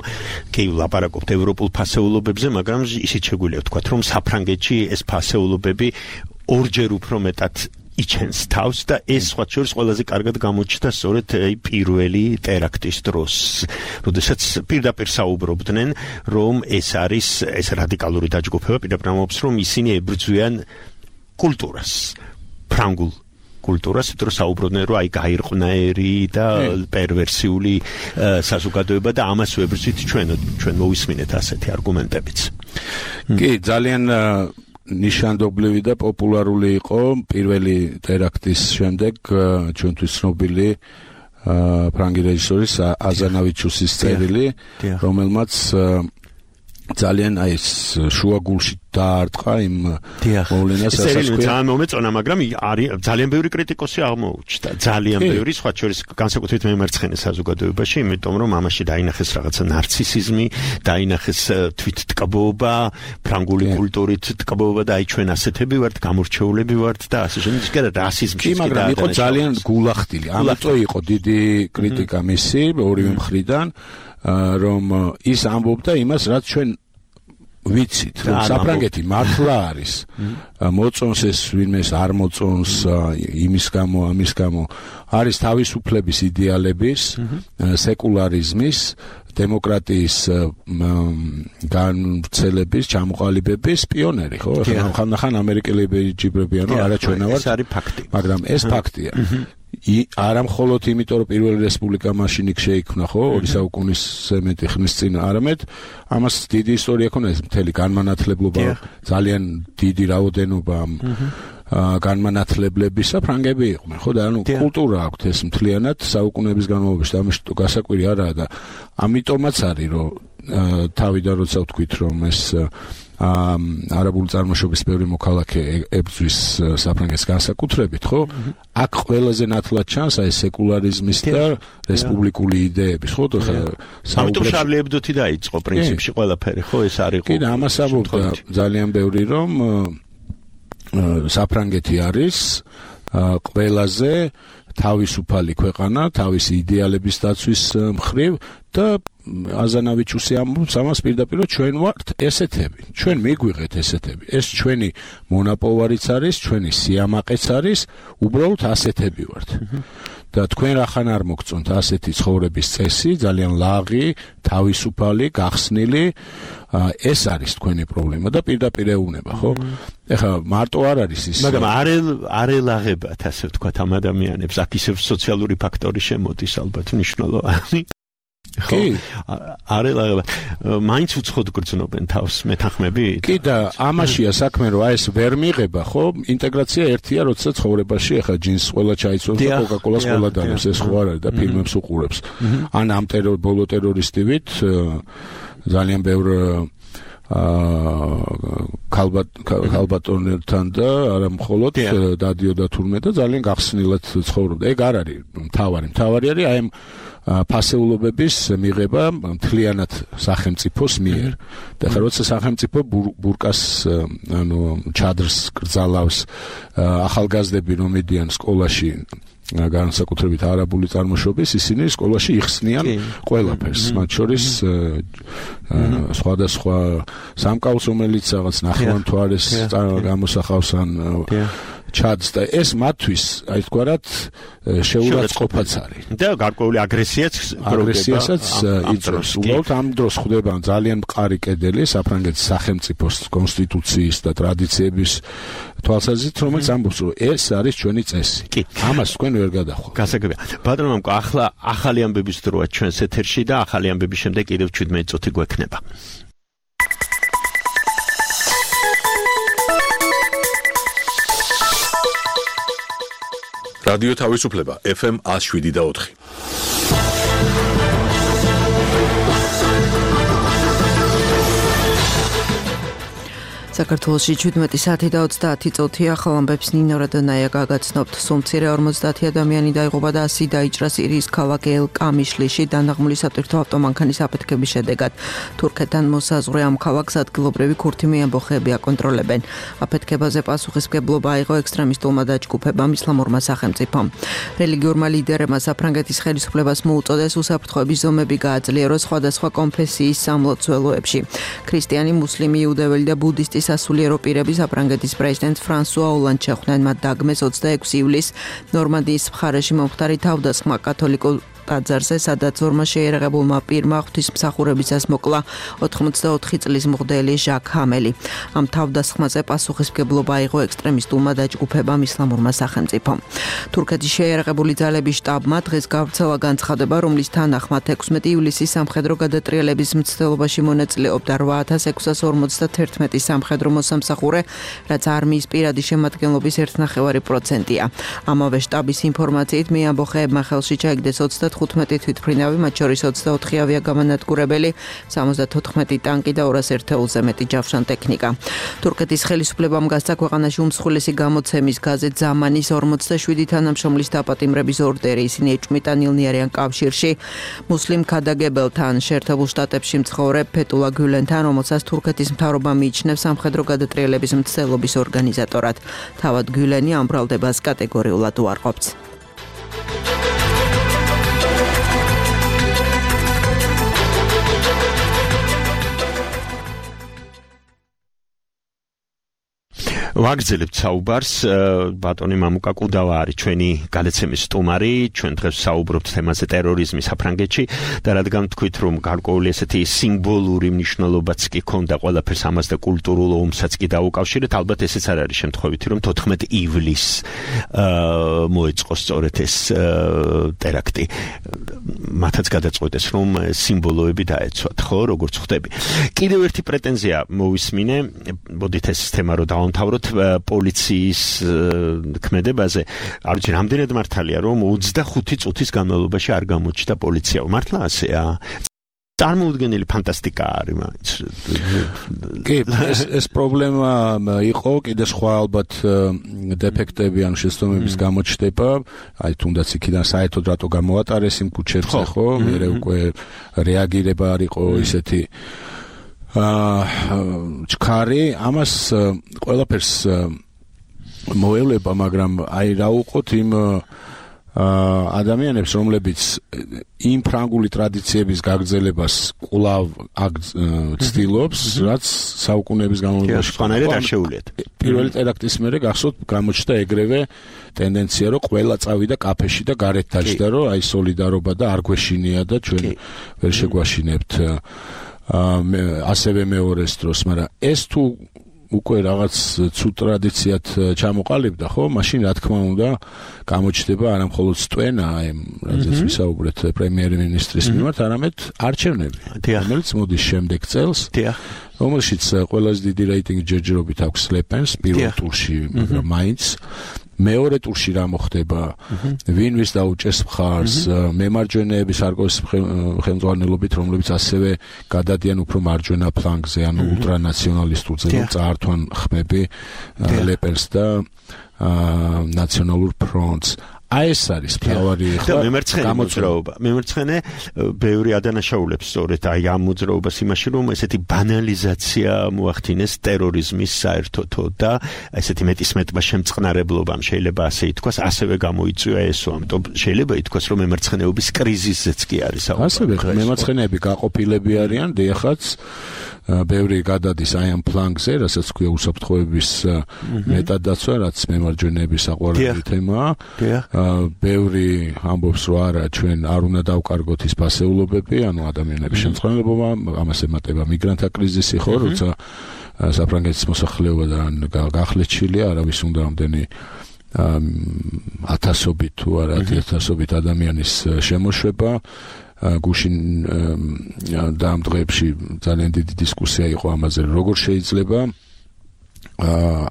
კი ლაპარაკობთ ევროპულ ფასეულობებზე, მაგრამ ისიც შეგვიძლია ვთქვათ, რომ საფრანგეთში ეს ფასეულობები ორჯერ უფრო მეტად იჩენს თავს და ეს სხვა შორის ყველაზე კარგად გამოჩნდა სწორედ პირველი ტერაქტის დროს, როდესაც პირდაპირ საუბრობდნენ, რომ ეს არის ეს რადიკალური დაჯგუფება, პირდაპირ ამბობს, რომ ისინი ებრძვიან კულტურას, ფრანგულ კულტურას, იმიტომ რომ საუბრობდნენ, რომ აი გაირყვნაერი და პერვერსიული საზოგადოება და ამას ვებრძვით ჩვენ მოვისმინეთ ასეთი არგუმენტებიც. კი, ძალიან ნიშანდობლივი და პოპულარული იყო პირველი ტერაქტის შემდეგ ჩვენთვის ცნობილი ფრანგი რეჟისორის აზანავიჩუსის წერილი, რომელმაც ძალიან აი ეს შუაგულში დაარტყა იმ მოვლენას ასაკი. ძალიან მომეწონა, მაგრამ ძალიან ბევრი კრიტიკოსი აღმოუჩნდა. ძალიან ბევრი, სხვა შორის განსაკუთრებით მემარცხენე საზოგადოებაში, იმიტომ რომ ამაში დაინახეს რაღაცა ნარცისიზმი, დაინახეს თვითტკბობა, ფრანგული კულტურით ტკბობა და აი ჩვენ ასეთები ვართ, გამორჩეულები ვართ და ასე შემდეგ. და რასიზმში კი, მაგრამ იყო ძალიან გულახდილი. ამიტომ იყო დიდი კრიტიკა მისი ორივე მხრიდან, რომ ის ამბობდა იმას, რაც ჩვენ ვიცით, რომ საფრანგეთი მართლა არის. მოწონს ეს ვინმეს არ მოწონს იმის გამო, ამის გამო, არის თავისუფლების იდეალების, სეკულარიზმის, დემოკრატიის განვრცელების, ჩამოყალიბების პიონერი, ხო? ხან ამერიკელები ჯიბრებიან, რომ არა ჩვენა ვართ. ეს არის ფაქტი. მაგრამ ეს ფაქტია. არა მხოლოდ იმიტომ, რომ პირველი რესპუბლიკა მაშინ იქ შეიქმნა, ხო, 2 საუკუნის მეტი ხნის წინ, არამედ ამას დიდი ისტორია ქონა, ეს მთელი განმანათლებლობა, ძალიან დიდი რაოდენობა განმანათლებლებისა ფრანგები იყვნენ, ხო, და ანუ კულტურა აქვთ ეს მთლიანად საუკუნეების განმავლობაში, ამის გასაკვირი არაა და ამიტომაც არის, რომ თავიდან როცა ვთქვით, რომ ეს არაბული წარმოშობის ბევრი მოქალაქე ებრძვის საფრანგეთს განსაკუთრებით, ხო? აქ ყველაზე ნათლად ჩანს აი სეკულარიზმის და რესპუბლიკური იდეების, ხო? ამიტომ შარლი ებდოთი დაიწყო პრინციპში ყველაფერი, ხო? ეს არის კი, და ამას ამბობდა ძალიან ბევრი, რომ საფრანგეთი არის ყველაზე თავისუფალი ქვეყანა, თავისი იდეალების დაცვის მხრივ და აზანავიჩუსი ამბობს ამას პირდაპირ, ჩვენ ვართ ესეთები, ჩვენ მიგვიღეთ ესეთები, ეს ჩვენი მონაპოვარიც არის, ჩვენი სიამაყეც არის, უბრალოდ ასეთები ვართ. და თქვენ რახან არ მოგწონთ ასეთი ცხოვრების წესი, ძალიან ლაღი, თავისუფალი, გახსნილი, ეს არის თქვენი პრობლემა და პირდაპირ ეუბნება, ხო? ეხლა მარტო არ არის ის. მაგრამ არ ელაღებათ, ასე ვთქვათ, ამ ადამიანებს, აქ ისევ სოციალური ფაქტორი შემოდის ალბათ მნიშვნელოვანი. კი, არელაღება. მაინც უცხოდ გრძნობენ თავს მეთანხმები? კი და ამაშია საქმე, რომ აი ეს ვერ მიიღება, ხო? ინტეგრაცია ერთია, როცა ცხოვრებაში ახლა ჯინს ყველა ჩაიცვებს და კოკაკოლას ყველა დანებს, ეს ხო არ არის და ფილმებს უყურებს. ან ამ ბოლო ტერორისტივით ძალიან ბევრ ქალბატონებთან და არა მხოლოდ დადიოდა თურმე და ძალიან გახსნილად ცხოვრობდა. ეგ არ არის მთავარი არის აი ამ ფასეულობების მიღება მთლიანად სახელმწიფოს მიერ. და ხა როცა სახელმწიფო ბურკას ანუ ჩადრს კრძალავს ახალგაზრდები რომ მიდიან სკოლაში განსაკუთრებით არაბული წარმოშობის, ისინი სკოლაში იხსნიან ყველაფერს, მათ შორის სხვადასხვა სამკაულს, რომელიც რაღაც ნახევარმთვარეს გამოსახავს ან ჩადს და ეს მათთვის აი თქვათ შეურაცხყოფაც არის. და გარკვეული აგრესიასაც იწვევს. უბრალოდ ამ დროს ხდება ძალიან მყარი კედელი საფრანგეთის სახელმწიფოს კონსტიტუციის და ტრადიციების თვალსაზრისით, რომელიც ამბობს, რომ ეს არის ჩვენი წესი. ამას თქვენ ვერ გადახვალთ. გასაგებია. ბატონო მამკო, ახლა ახალი ამბების დროა ჩვენს ეთერში და ახალი ამბების შემდეგ კიდევ 17 წუთი გვექნება. რადიო თავისუფლება FM 107.4. საქართველოში 17 საათი და 30 წუთია. ახალ ამბებს ნინო რადონაია გაგაცნობთ. სულ მცირე 50 ადამიანი დაიღუპა და 100 დაიჭრა სირიის ქალაქ ელ-კამიშლიში დანაღმული სატვირთო ავტომანქანის აფეთქების შედეგად. თურქეთთან მოსაზღვრე ამ ქალაქს ადგილობრივი ქურთი ამბოხები აკონტროლებენ. აფეთქებაზე პასუხისმგებლობა აიღო ექსტრემისტულმა დაჯგუფებამ ისლამურმა სახელმწიფომ. რელიგიურმა ლიდერებმა საფრანგეთის ხელისუფლებას მოუწოდეს უსაფრთხოების ზომები გააძლიეროს სხვადასხვა კონფესიის სამლოცველოებში. ქრისტიანი, მუსლიმი, იუდეველი და ბუდისტი სასულიერო პირები საფრანგეთის პრეზიდენტ ფრანსუა ოლანდს შეხვდნენ. მათ დაგმეს 26 ივლისს ნორმანდიის მხარეში მომხდარი თავდასხმა კათოლიკურ ტაძარზე, სადაც ორმა შეიარაღებულმა პირმა ღვთისმსახურებისას მოკლა 84 წლის მღვდელი ჟაკ ჰამელი. ამ თავდასხმაზე პასუხისმგებლობა აიღო ექსტრემისტულმა დაჯგუფებამ ისლამურმა სახელმწიფომ. თურქეთის შეიარაღებული ძალების შტაბმა დღეს გავრცელა განცხადება, რომლის თანახმად 16 ივლისის სამხედრო გადატრიალების მცდელობაში მონაწილეობდა 8651 სამხედრო მოსამსახურე, რაც არმიის პირადი შემადგენლობის 1.5%-ია. ამავე შტაბის ინფორმაციით მეამბოხეებმა ხელში ჩაიგდეს 15 თვითმფრინავი, მათ შორის 24 ავიაგამანადგურებელი, 74 ტანკი და 200 ერთეულზე მეტი ჯავშან ტექნიკა. თურქეთის ხელისუფლებამ გასცა ქვეყანაში უმსხვილესი გამოცემის გაზეთ ზამანის 47 თანამშრომლის დაპატიმრების ორდერი. ისინი ეჭვმიტანილნი არიან კავშირში მუსლიმ ქადაგებელთან, შეერთებულ შტატებში მცხოვრებ ფეტულა გულენთან, რომელსაც თურქეთის მთავრობა მიიჩნევს სამხედრო გადატრიალების მცდელობის ორგანიზატორად. თავად გულენი ამ ბრალდებას კატეგორიულად უარყოფს. ვაგრძელებთ საუბარს. ბატონი მამუკა კუდავა არის ჩვენი გადაცემის სტუმარი. ჩვენ დღეს საუბრობთ თემაზე ტერორიზმი საფრანგეთში და რადგან თქვით, რომ გარკვეული ესეთი სიმბოლური მნიშვნელობაც კი ქონდა ყველაფერს ამას და კულტურულ ომსაც კი დაუკავშირეთ, ალბათ ესეც არ არის შემთხვევითი, რომ 14 ივლისს მოეწყო სწორედ ეს ტერაქტი. მათაც გადაწყვეტეს, რომ სიმბოლოები დაეცვათ, ხო, როგორც ხვდები. კიდევ ერთი პრეტენზია მოვისმინე, მოდით ეს თემა რო დავამთავროთ პოლიციის ქმედებაზე. არ ვიცი, რამდენად მართალია, რომ 25 წუთის განმავლობაში არ გამოჩნდა პოლიცია. მართლა ასეა? წარმოუდგენელი ფანტასტიკა არის მაინც. კი, ეს პრობლემა იყო, კიდე სხვა ალბათ დეფექტები ან შეცდომების გამოჩნდება, აი თუნდაც იქიდან საერთოდ რატო გამოატარეს იმ ქუჩებზე, ხო? მერე უკვე რეაგირება არ იყო ისეთი ჩქარი, ამას ყველაფერს მოელება, მაგრამ აი რა უყოთ იმ ადამიანებს, რომლებიც იმ ფრანგული ტრადიციების გაგრძელებას კვლავ ცდილობს, რაც საუკუნეების განმავლობაში სხვანაირად არ შეუძლიათ. პირველი ტერაქტის მერე გახსოვთ, გამოჩნდა ეგრევე ტენდენცია, რომ ყველა წავიდა კაფეში და გარეთ დაჯდა, რომ აი სოლიდარობა და არ გვეშინია და ჩვენ ვერ შეგვაშინებთ. ასევე მეორეს დროს, მაგრამ ეს თუ უკვე რაღაც ცუდ ტრადიციად ჩამოყალიბდა, ხო? მაშინ რა თქმა უნდა გამოჩნდება არა მხოლოდ სტვენა, რაზეც ვისაუბრეთ პრემიერ-მინისტრის მიმართ, არამედ არჩევნები, რომელიც მოდის შემდეგ წელს, რომელშიც ყველაზე დიდი რეიტინგი ჯერჯერობით აქვს ლეპენს პირველ ტურში, მაგრამ მაინც მეორე ტურში რა მოხდება, ვინ ვის დაუჭერს მხარს, მემარჯვენეები სარკოზის ხელმძღვანელობით, რომლებიც ასევე გადადიან უფრო მარჯვენა ფლანგზე, ანუ ულტრანაციონალისტურზე, რომ წაართვან ხმები ლეპენს და ნაციონალურ ფრონტს. აი ეს არის მთავარი და მემარცხენე მოძრაობა. მემარცხენე ბევრი ადანაშაულებს სწორედ აი ამ მოძრაობას იმაში, რომ ესეთი ბანალიზაცია მოახდინეს ტერორიზმის საერთოდო და ესეთი მეტისმეტმა შემწყნარებლობამ შეიძლება ასე ითქვას, ასევე გამოიწვია ესო, ამიტომ შეიძლება ითქვას, რომ მემარცხენეობის კრიზისზეც კი არის ასევე მემარცხენეები გაყოფილები არიან, დიახაც ბევრი გადადის აი ამ ფლანგზე, რასაც ქვია უსაფრთხოების მეტად დაცვა, რაც მემარჯვენეების საყვარელი თემაა. ბევრი ამბობს, რომ არა, ჩვენ არ უნდა დავკარგოთ ის ფასეულობები, ანუ ადამიანების შემწყნარებლობა, ამას ემატება მიგრანტთა კრიზისი, ხო, როცა საფრანგეთის მოსახლეობიდან გახლეჩილია, არავის უნდა ამდენი ათასობით თუ არა 10,000 ადამიანის შემოშვება. გუშინ და ამ დღეებში ძალიან დიდი დისკუსია იყო ამაზე, როგორ შეიძლება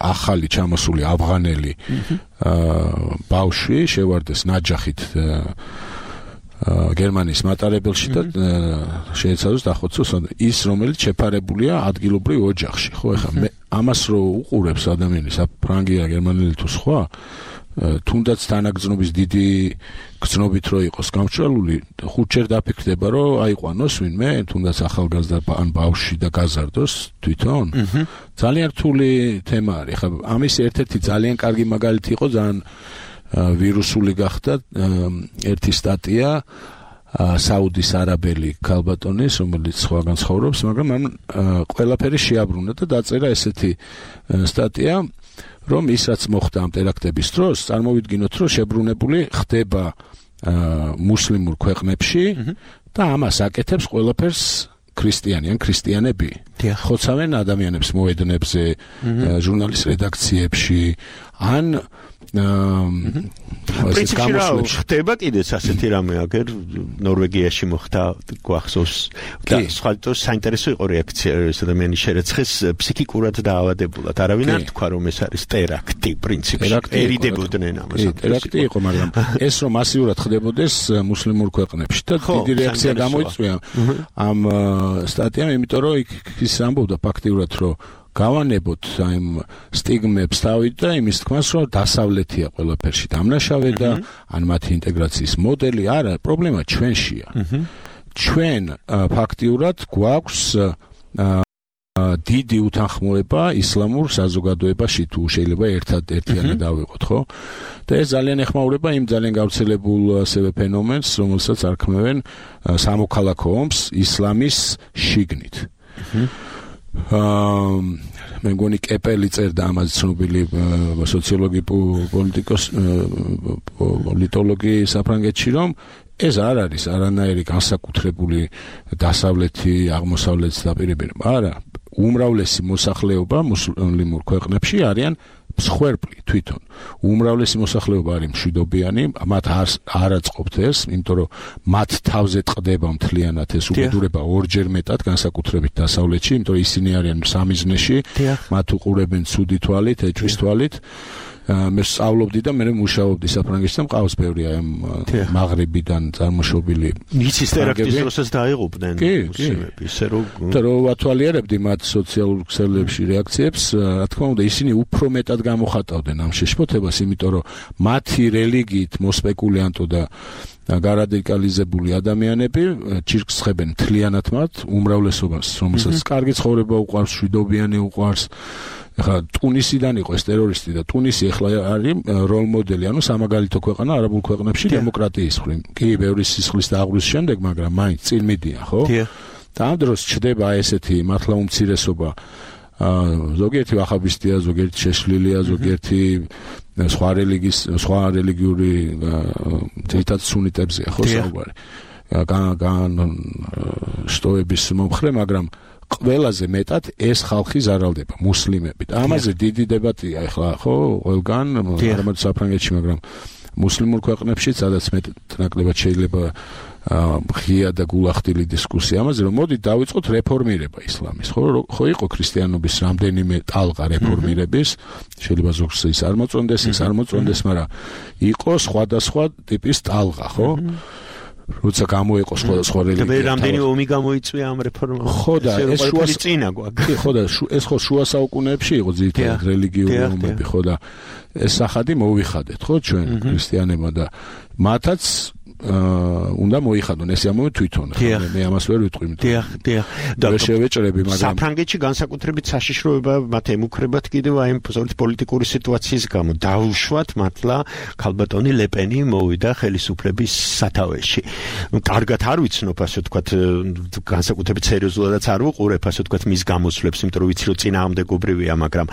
ახალი ჩამოსული ავღანელი ბავშვი შევარდეს ნაჯახით გერმანიის მატარებელში და შეეცადოს დახოცოს ის, რომელიც შეფარებულია ადგილობრივ ოჯახში, ხო, ეხლა მე ამას რო უყურებს ადამიანი, საფრანგია, გერმანელი თუ სხვა, თუნდაც თანაგრძნობის დიდი გრძნობით რო იყოს გამჭრალული, ხუთჯერ დაფიქრდება, რომ აიყვანოს ვინმე, თუნდაც ახალგაზრდა ან ბავშვი და გაზარდოს თვითონ. ძალიან რთული თემა არის. ხა ამის ერთ-ერთი ძალიან კარგი მაგალითი იყო, ძალიან ვირუსული გახდა ერთი სტატია საუდის არაბელი ქალბატონის, რომელიც სხვაგან ცხოვრობს, მაგრამ ამ ყველაფერი შეაბრუნა და დაწერა ესეთი სტატია, რომ ის რაც მოხდა ამ ტერაქტების დროს, წარმოვიდგინოთ, რომ შებრუნებული ხდება მუსლიმურ ქვეყნებში და ამას აკეთებს ყველაფერს ქრისტიანი ან ქრისტიანები. ხოცავენ ადამიანებს მოედნებზე, ჟურნალის რედაქციებში, ან პრინციპში ხდება კიდეც ასეთი რამე, აგერ ნორვეგიაში მოხდა, გვახსოვს და სხვა საინტერესო იყო რეაქცია, ეს ადამიანი შერეცხეს ფსიქიკურად დაავადებულად. არავინ არ თქვა, რომ ეს არის ტერაქტი, პრინციპში ერიდებოდნენ ამას. ტერაქტი იყო, მაგრამ ეს რომ მასიურად ხდებოდეს მუსლიმურ ქვეყნებში და დიდი რეაქცია გამოიწვია ამ სტატიამ, იმიტომ რომ იქ ის ამბობდა ფაქტიურად, რომ გავანებოთ აი სტიგმებს თავით და იმის თქმას, რომ დასავლეთია ყველაფერში დამნაშავე და ან მათი ინტეგრაციის მოდელი, არა, პრობლემა ჩვენშია. ჩვენ ფაქტიურად გვაქვს დიდი უთანხმოება ისლამურ საზოგადოებაში, თუ შეიძლება ერთადერთიანად დავიღოთ, ხო? და ეს ძალიან ეხმაურება იმ ძალიან გავრცელებულ ასევე ფენომენს, რომელსაც არქმევენ სამოქალაქო ომს ისლამის შიგნით. მე მგონი კეპელი წერდა ამაზე, ცნობილი სოციოლოგი, პოლიტოლოგი საფრანგეთში, რომ ეს არ არის არანაირი განსაკუთრებული დასავლეთი, აღმოსავლეთის დაპირებები, არა, უმრავლესი მოსახლეობა მუსლიმურ ქვეყნებში არიან მსხვერპლი თვითონ. უმრავლესი მოსახლეობა არის მშვიდობიანი, მათ არ აწყობთ ეს, იმიტომ რომ მათ თავზე ტყდება მთლიანად ეს უბედურება ორჯერ მეტად, განსაკუთრებით დასავლეთში, იმიტომ რომ ისინი არიან სამიზნეში, მათ უყურებენ ცუდი თვალით, ეჭვის თვალით. მე სწავლობდი და მე მუშაობდი საფრანგეთში და მყავს ბევრი აი მაღრიბიდან წარმოშობილი. იცის ტერაქტის დროსაც დაიღუპნენ მუსლიმები, ისე რომ ვათვალიერებდი მათ სოციალურ ქსელებში რეაქციებს, რა თქმა უნდა, ისინი უფრო მეტად გამოხატავდნენ ამ შეშფოთებას, იმიტომ რომ მათი რელიგიით მოსპეკულიანტო და გარადიკალიზებული ადამიანები ჩირკს ხებენ მთლიანად მათ უმრავლესობას, რომელსაც კარგი ცხოვრება უყვარს, მშვიდობიანი უყვარს. ახლა ტუნისიდან იყო ეს ტერორისტი და ტუნისი ახლა არის როლ მოდელი, ანუ სამაგალითო ქვეყანა არაბულ ქვეყნებში დემოკრატიის მხრივ. კი, ბევრი სისხლის დაღვრვის შემდეგ, მაგრამ მაინც წინ მიდიან, ხო? და ამ დროს ჩდება ესეთი მართლა უმცირესობა. ზოგიერთი ვაჰაბისტია, ზოგიერთი შეშლილია, ზოგიერთი სხვა რელიგიური თითქოს სუნიტებზეა, ხო, საუბარი. შტოების მომხრე, მაგრამ ყველაზე მეტად ეს ხალხი ზარალდება მუსლიმებით. ამაზე დიდი დებატია ახლა, ხო, ყველგან, არამედ საფრანგეთში, მაგრამ მუსლიმურ ქვეყნებში სადაც მეტნაკლებად შეიძლება ღია და გულახდილი დისკუსია ამაზე, რომ მოდით დავიწყოთ რეფორმირება ისლამის, ხო იყო ქრისტიანობის რამდენიმე ტალღა რეფორმირების, შეიძლება ზოგს ის არ მოწონდეს, მაგრამ იყო სხვადასხვა ტიპის ტალღა, ხო? როცა გამოიყო სხვა რელიგია. და რამდენი ომი გამოიწვია ამ რეფორმამ? ხო და ეს შუა წინა გვაქვს. ხო და ეს ხო შუა საუკუნეებში იყო ძირითადად რელიგიური ომები, ხო და ეს სახადი მოვიხადეთ, ხო ჩვენ ქრისტიანებმა და მათაც უნდა მოიხადონ ეს ამოვე თვითონ მე ამას ვერ ვიტყვი და შევეჭრები მაგრამ საფრანგეთში განსაკუთრებით საშიშროება მათ ემუქრებათ კიდევ აი ამ პოლიტიკური სიტუაციის გამო დაუშვათ მართლა ქალბატონი ლეპენი მოვიდა ხელისუფლების სათავეში კარგად არ ვიცნობ ასე ვთქვათ განსაკუთრებით სერიოზულადაც არ ვუყურებ ასე ვთქვათ მის გამოსვლებს იმიტომ რომ ვიცი რომ წინააღმდეგობრივია მაგრამ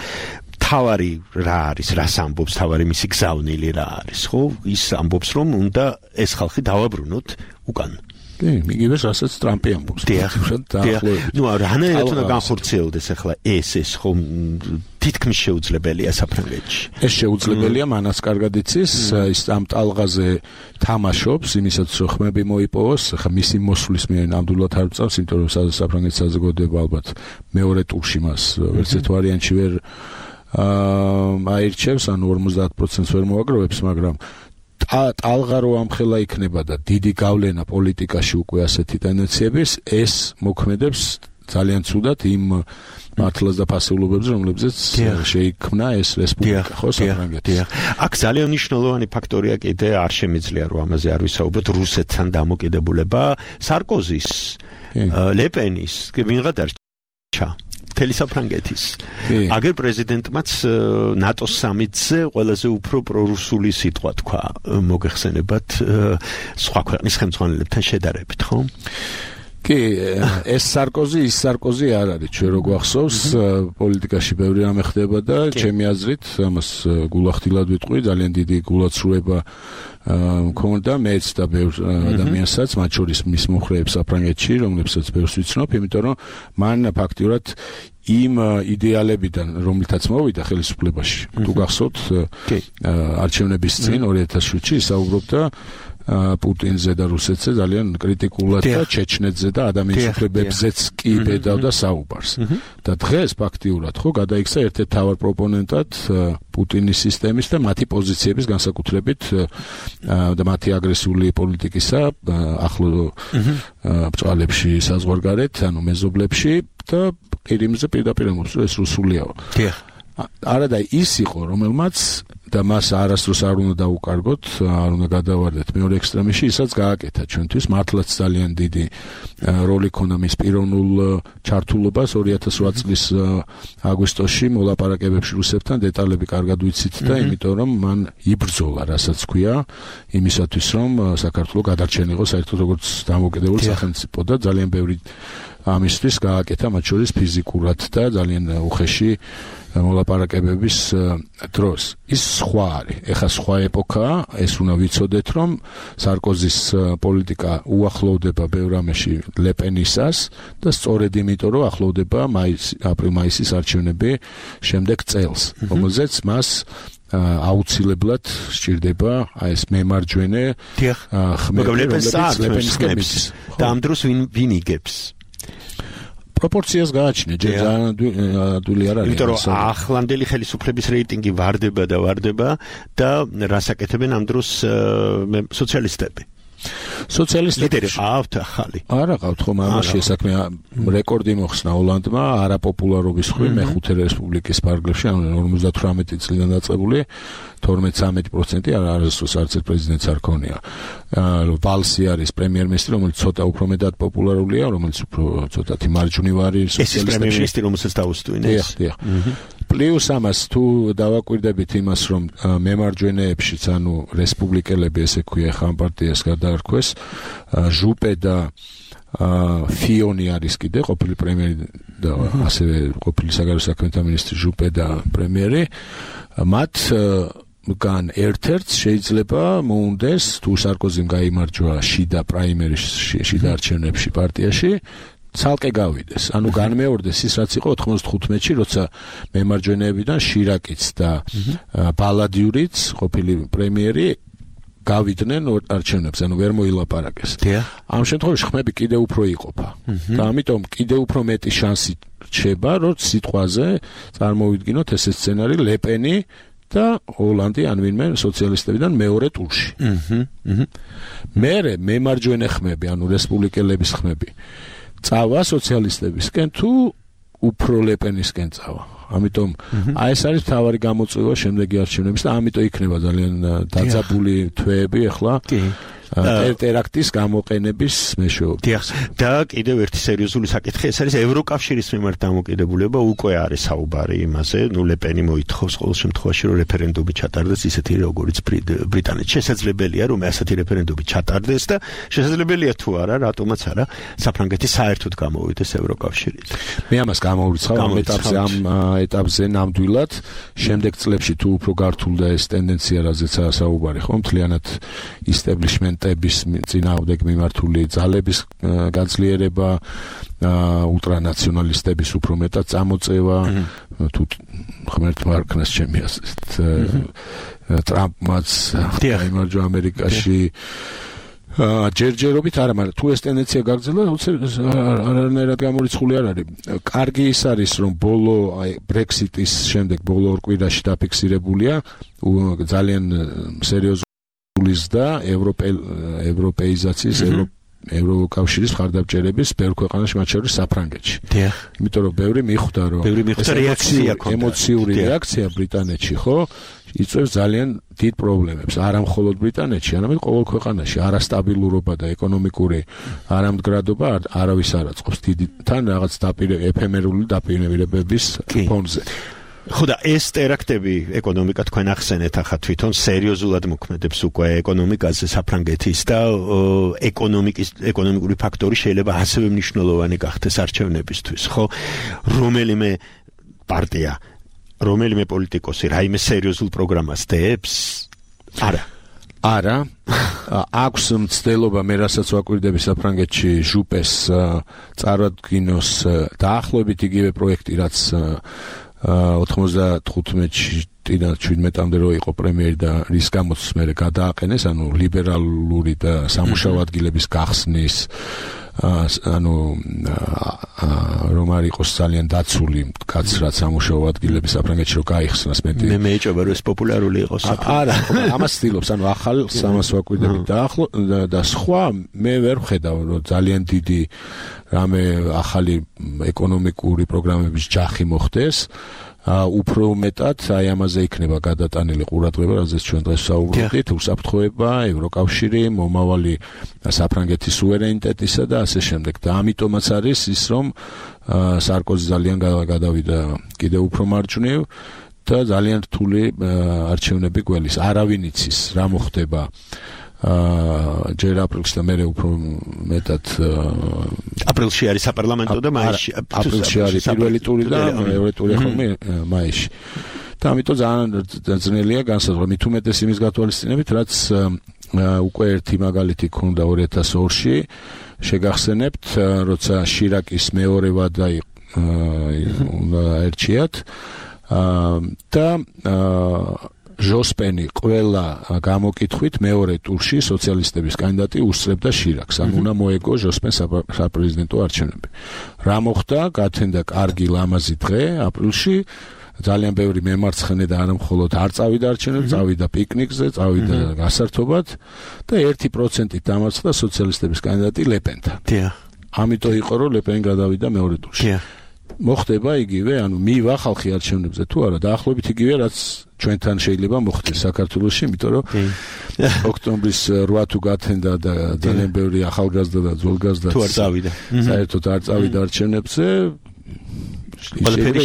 თავარი რა არის, რას ამბობს თავარი მისი გზავნილი რა არის, ხო? ის ამბობს რომ უნდა ეს ხალხი დავაბრუნოთ უკან. კი, მიგივეს რასაც ტრამპი ამბობს. ნუ რანაირად უნდა განხორციელდეს ახლა ეს ხო თითქმის შეუძლებელია საფრანგეთში. ეს შეუძლებელია, მანაც კარგად იცის, ის ამ ტალღაზე თამაშობს, იმისაც რომ ხმები მოიპოვოს, ახლა მისი მოსვლის მე ნამდვილად არ ვწავს, იმიტომ რომ საფრანგეთის საზოგადოება ალბათ მეორე ტურში მას ვერც ერთ ვარიანტში ვერ აირჩევს, ანუ 50% ვერ მოაგროვებს, მაგრამ ტალღა რო ამხელა იქნება და დიდი გავლენა პოლიტიკაში უკვე ასეთი ტენდენციების, ეს მოქმედებს ძალიან ცუდად იმ მართლას და ფასეულობებს, რომლებზეც შეიქმნა ეს რესპუბლიკა, ხო, საფრანგეთი. აქ ძალიან მნიშვნელოვანი ფაქტორია კიდე არ შემიძლია რომ ამაზე არ ვისაუბროთ რუსეთთან დამოკიდებულება სარკოზის, ლეპენის, ვინღა დარჩა მთელი საფრანგეთის. აგერ პრეზიდენტმაც ნატოს სამიტზე ყველაზე უფრო პრორუსული სიტყვა თქვა, მოგეხსენებათ სხვა ქვეყნის ხელმძღვანელებთან შედარებით, ხო? კი, ეს სარკოზი არ არის, ჩვენ რო გვახსოვს, პოლიტიკაში ბევრი რამე ხდება და ჩემი აზრით, ამას გულახდილად ვიტყვი, ძალიან დიდი გულაცრუება მქონდა მეც და ბევრ ადამიანსაც, მათ შორის მის მომხრეებს საფრანგეთში, რომლებსაც ბევრს ვიცნობ, იმიტომ რომ მან ფაქტიურად იმ იდეალებიდან, რომლითაც მოვიდა ხელისუფლებაში, თუ გახსოვთ, არჩევნების წინ 2007-ში ისაუბრობდა პუტინზე და რუსეთზე ძალიან კრიტიკულად და ჩეჩნეთზე და ადამიანის უფლებებზეც კი ბედავდა საუბარს. და დღეს ფაქტიურად ხო გადაიქცა ერთ-ერთ თავარ პროპონენტად პუტინის სისტემის და მათი პოზიციების განსაკუთრებით და მათი აგრესიული პოლიტიკისა ახლო ბრძოლებში საზღვარგარეთ, ანუ მეზობლებში და ყირიმზე პირდაპირ ამბობს, რომ ეს რუსულიაო. არადა ის იყო, რომელმაც და მას არასდროს არ უნდა დაუკარგოთ, არ უნდა გადავარდეთ მეორე ექსტრემში, ისაც გააკეთა ჩვენთვის მართლაც ძალიან დიდი როლი ქონდა მის პიროვნულ ჩართულობას 2008 წლის აგვისტოში მოლაპარაკებებში რუსებთან დეტალები კარგად ვიცით და იმიტომ რომ მან იბრძოლა, რასაც ქვია, იმისათვის რომ საქართველოს გადარჩენი იყო საერთოდ როგორც დამოუკიდებელი სახელმწიფო და ძალიან ბევრი ამისთვის გააკეთა მათ შორის ფიზიკურად და ძალიან უხეში მოლაპარაკებების დროს. ის სხვა არის. ეხლა სხვა ეპოქაა, ეს უნდა ვიცოდეთ, რომ სარკოზის პოლიტიკა უახლოვდება ბევრ რამეში ლეპენისას და სწორედ იმიტომ, რომ ახლოვდება აპრილ-მაისის არჩევნები შემდეგ წელს, რომელზეც მას აუცილებლად სჭირდება აი ეს მემარჯვენე ხმები, რომლებიც ლეპენისკენ მისცეს. და ამ დროს ვინ იგებს? პროპორციას გააჩნია, ჯერ ძალიან ადვილი არ არის. იმიტომ რომ ახლანდელი ხელისუფლების რეიტინგი ვარდება და რას აკეთებენ ამ დროს სოციალისტები. ლიდერი ყავთ ახალი. არა ყავთ ხომ ამაში საქმე რეკორდი მოხსნა ჰოლანდმა არაპოპულარობის მხრივ მეხუთე რესპუბლიკის ფარგლებში, ანუ 58 წლიდან დაწყებული 12-13% არასდროს არც ერთ პრეზიდენტს არ ქონია. ვალსი არის პრემიერ-მინისტრი, რომელიც ცოტა უფრო მეტად პოპულარულია, რომელიც უფრო ცოტათი მარჯვნივ არის სოციალისტებში. ეს პრემიერ-მინისტრი, რომელსაც დაუსტვინ ეს. დიახ. პლუს ამას თუ დავაკვირდებით იმას, რომ მემარჯვენეებშიც, ანუ რესპუბლიკელები, ესე ქვია, ხან პარტიას გადაარქვეს, ჟუპე და ფიონი არის კიდე ყოფილი პრემიერი და ასევე ყოფილი საგარეო საქმეთა მინისტრი ჟუპე და პრემიერი, მათ გან ერთ-ერთს შეიძლება მოუნდეს თუ სარკოზიმ გაიმარჯვა შიდა პრაიმერისში, შიდა არჩევნებში პარტიაში ცალკე გავიდეს. ანუ განმეორდეს ის რაც იყო 95-ში, როცა მემარჯვენეებიდან შირაკიც და ბალადიურიც, ყოფილი პრემიერი გავიდნენ არჩევნებს, ანუ ვერ მოილაპარაკეს. ამ შემთხვევაში ხმები კიდევ უფრო იყოფა. და ამიტომ კიდევ უფრო მეტი შანსი რჩება, რომ სიტყვაზე წარმოვიდგინოთ ესე სცენარი ლეპენი და ჰოლანდი ან ვინმე სოციალისტებიდან მეორე ტურში. მერე მემარჯვენე ხმები, ანუ რესპუბლიკელების ხმები წავა სოციალისტებისკენ თუ უფრო ლეპენისკენ წავა. ამიტომ აი ეს არის მთავარი გამოწვევა შემდეგი არჩევნების და ამიტომ იქნება ძალიან დაძაბული თვეები ახლა ტერაქტის გამოყენების მეშვეობით. და კიდევ ერთი სერიოზული საკითხი ეს არის ევროკავშირის მიმართ დამოკიდებულება უკვე არის საუბარი იმაზე, ლეპენი მოითხოვს ყოველ შემთხვევაში რომ რეფერენდუმი ჩატარდეს ისეთი როგორიც ბრიტანეთში. შესაძლებელია რომ ასეთი რეფერენდუმი ჩატარდეს და შესაძლებელია თუ არა, რატომაც არა, საფრანგეთი საერთოდ გამოვიდეს ევროკავშირից. მე ამას გამოვიცხავ ამ ეტაპზე ნამდვილად, შემდეგ წლებში თუ უფრო გართულდა ეს ტენდენცია, რაზეც საუბარი ხო, მთლიანად ისტებლიშმენტების წინააღმდეგ მიმართული ძალების გაძლიერება, ულტრანაციონალისტების უფრო მეტად წამოწევა, თუ ღმერთმა არქნას ჩემი ასეთ ტრამპმაც იმარჯვა ამერიკაში ჯერჯერობით არა, მაგრამ თუ ეს ტენდენცია გაგრძელდა, არანაირად გამორიცხული არ არის. კარგი ის არის, რომ ბოლო ბრექსიტის შემდეგ ბოლო ორ კვირაში დაფიქსირებულია ძალიან სერიოზული ზრდა ევროპეიზაციის ევროკავშირის მხარდამჭერების ბევრ ქვეყანაში, მათ შორის საფრანგეთში. იმიტომ რომ ბევრი მიხვდა, რომ ემოციური რეაქცია ბრიტანეთში, ხო? იწვევს ძალიან დიდ პრობლემებს, არა მხოლოდ ბრიტანეთში, არამედ ყოველ ქვეყანაში. არასტაბილურობა და ეკონომიკური არამდგრადობა არავის არ აწყობს თან რაღაც ეფემერული დაპირებების ფონზე. ხო და ეს ტერაქტები ეკონომიკა თქვენ ახსენეთ ახლა თვითონ სერიოზულად მოქმედებს უკვე ეკონომიკაზე საფრანგეთის და ეკონომიკური ფაქტორი შეიძლება ასევე მნიშვნელოვანი გახდეს არჩევნებისთვის, ხო? რომელიმე პარტია, რომელიმე პოლიტიკოსი რაიმე სერიოზულ პროგრამას დებს? არა. აქვს მცდელობა მე რასაც ვაკვირდები საფრანგეთში ჟუპეს წარადგინოს დაახლოებით იგივე პროექტი, რაც 95-ში 17-მდე რო იყო პრემიერი და რის გამოც მე გადააყენეს, ანუ ლიბერალური და სამუშაო ადგილების გახსნის, ანუ რომ არ იყოს ძალიან დაცული კაცრად სამუშაო ადგილები საფრანგეთში რო გაიხსნას მე მეეჭობა რომ ეს პოპულარული იყოს. არა, ამას ცდილობს, ანუ ახალ სამას ვაკვირდები და სხვა მე ვერ ვხედავ რომ ძალიან დიდი რამე ახალი ეკონომიკური პროგრამების ჯახი მოხდეს. უფრო მეტად აი ამაზე იქნება გადატანილი ყურადღება, რაზეც ჩვენ დღეს ვსაუბრობთ, უსაფრთხოება, ევროკავშირი, მომავალი საფრანგეთის სუვერენიტეტისა და ასე შემდეგ. და ამიტომაც არის ის, რომ სარკოზი ძალიან გადავიდა კიდევ უფრო მარჯვნივ და ძალიან რთული არჩევნები გველის. არავინ იცის რა მოხდება ჯერ აპრილში და მერე უფრო მეტად აპრილში არის საპარლამენტო და მაისში აპრილში არის პირველი ტური და მეორე ტური ხოლმე მაისში. და ამიტომ ძალიან ძნელია განსაზღვრა, მით უმეტეს იმის გათვალისწინებით, რაც უკვე ერთი მაგალითი ქონდა 2002-ში, შეგახსენებთ, როცა შირაკის მეორე ვადა ერჩიათ და ჟოსპენი ყველა გამოკითხვით მეორე ტურში სოციალისტების კანდიდატი უსწრებდა შირაკს, ანუ უნდა მოეგო ჟოსპენს საპრეზიდენტო არჩევნები. რა მოხდა? გათენდა კარგი ლამაზი დღე აპრილში, ძალიან ბევრი მემარცხენე და არა მხოლოდ არ წავიდა არჩევნებზე, წავიდა პიკნიკზე, წავიდა გასართობად და 1%-ით დამარცხდა სოციალისტების კანდიდატი ლეპენთან. ამიტომ იყო რომ ლეპენი გადავიდა მეორე ტურში. მოხდება იგივე, ანუ მივა ხალხი არჩევნებზე თუ არა, დაახლოებით იგივე, რაც ჩვენთან შეიძლება მოხდეს საქართველოში, იმიტომ რომ ოქტომბრის 8 თუ გათენდა და ძალიან ბევრი ახალგაზრდა და ძველგაზრდა თუ არ წავიდა. საერთოდ არ წავიდა არჩევნებზე. ყველაფერი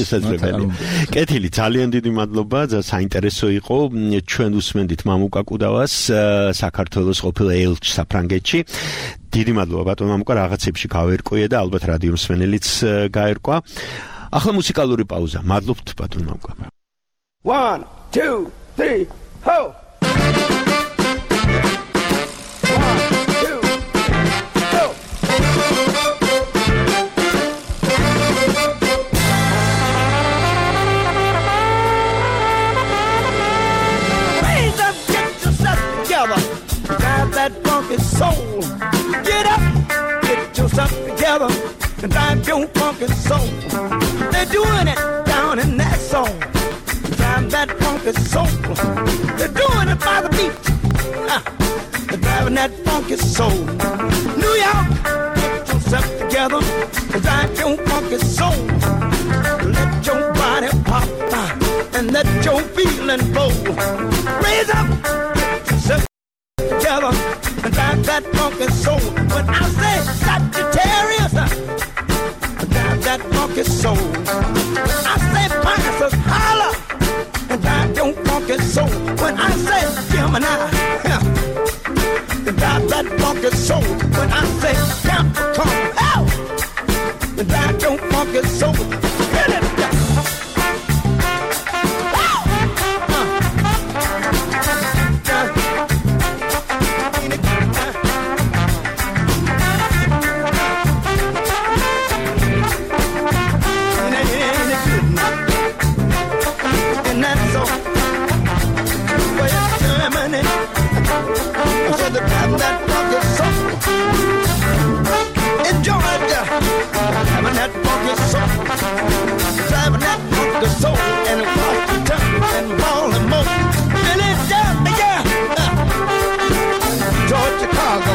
შესაძლებელი. კეთილი, ძალიან დიდი მადლობა, საინტერესო იყო. ჩვენ უსმენდით მამუკა კუდავას, საქართველოს ყოფილ ელჩს საფრანგეთში. დიდი მადლობა ბატონ მამუკა, რაღაცებში გავერკვია და ალბათ რადიო მსმენელიც გაერკვა. ახლა მუსიკალური პაუზა. მადლობთ ბატონ მამუკა. 1 2 3 ho! That funky soul, get up, get yourself together, and drive your funky soul. They're doing it down in that song. that funky soul. They're doing it by the beat. They're driving that funky soul. New York, get yourself together, 'cause I'm your funky soul. Let your body pop and let your feeling flow. Raise up, get yourself together, and drive that funky soul. When I say Sagittarius, drive that funky soul. When I say Pisces, holler, and drive your funky soul. When I say Gemini, drive that funky soul. When I say Capricorn, hell, drive your funky soul. Get it down. Having that funky soul, driving that funky soul, and Washington and Baltimore, Philadelphia, Georgia, Chicago.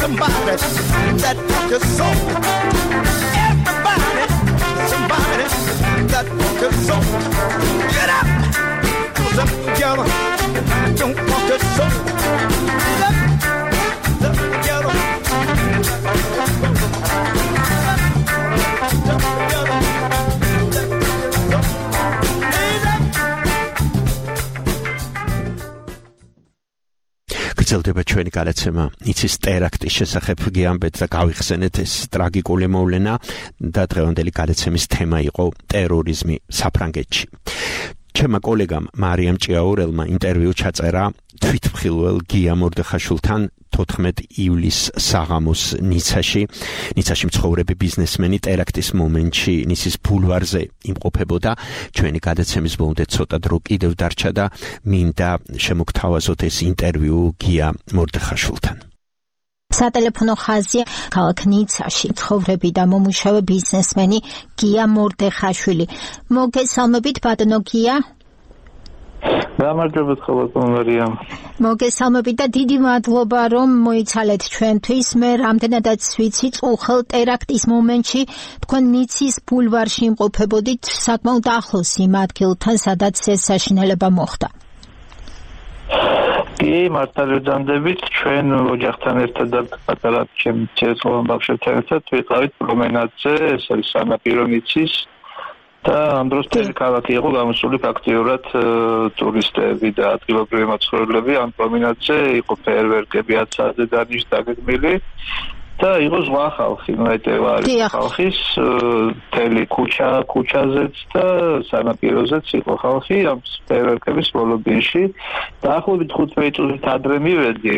Somebody that took your soul. Everybody, somebody. tonight. That funk is soul. Get up, close up together. Don't funk is soul. Get up together. გრძელდება ჩვენი გადაცემა იცის ტერაქტის შესახებ გიამბეთ და გავიხსენეთ ეს ტრაგიკული მოვლენა და დღევანდელი გადაცემის თემა იყო ტერორიზმი საფრანგეთში. ჩემმა კოლეგამ მარიამ ჭიაურელმა ინტერვიუ ჩაწერა თვითმხილველ გია მორდეხაშვილთან 14 ივლისს საღამოს ნიცაში მცხოვრები ბიზნესმენი ტერაქტის მომენტში ნიცის ბულვარზე იმყოფებოდა. ჩვენი გადაცემის ბოლომდე ცოტა დრო კიდევ დარჩა და მინდა შემოგთავაზოთ ეს ინტერვიუ გია მორდეხაშვილთან. სატელეფონო ხაზია ქალაქ ნიცაში მცხოვრები და მომუშავე ბიზნესმენი გია მორდეხაშვილი. მოგესალმებით ბატონო გია. გამარჯობათ ხოლმე მარიამ. მოგესალმებით და დიდი მადლობა რომ მოიცალეთ ჩვენთვის. მე რამდენადაც ვიცი წუხელ ტერაქტის მომენტში თქვენ ნიცის ბულვარში იმყოფებოდით საკმაოდ ახლოს იმ ადგილთან სადაც ეს საშინელება მოხდა. კი, მართალია ჩვენ ოჯახთან ერთად და პატარა ჩემი ცეცხლოვან ბავშვებთან ერთად ვიყავით პრომენადზე, ეს არის სანაპირო ნიცის და ამ დროს მთელი ქალაქი იყო გამოსული ფაქტიურად ტურისტები და ადგილობრივი მაცხოვრებლები. ამ პრომენადზე იყო ფეერვერკები 10 საათზე დაგეგმილი და იყო ზღვა ხალხი, ნაიტევა არის ხალხის მთელი ქუჩაზეც და სანაპიროზეც იყო ხალხი ამ ფეერვერკების ბოლობინში. დაახლოებით 15 წუთით ადრე მივედი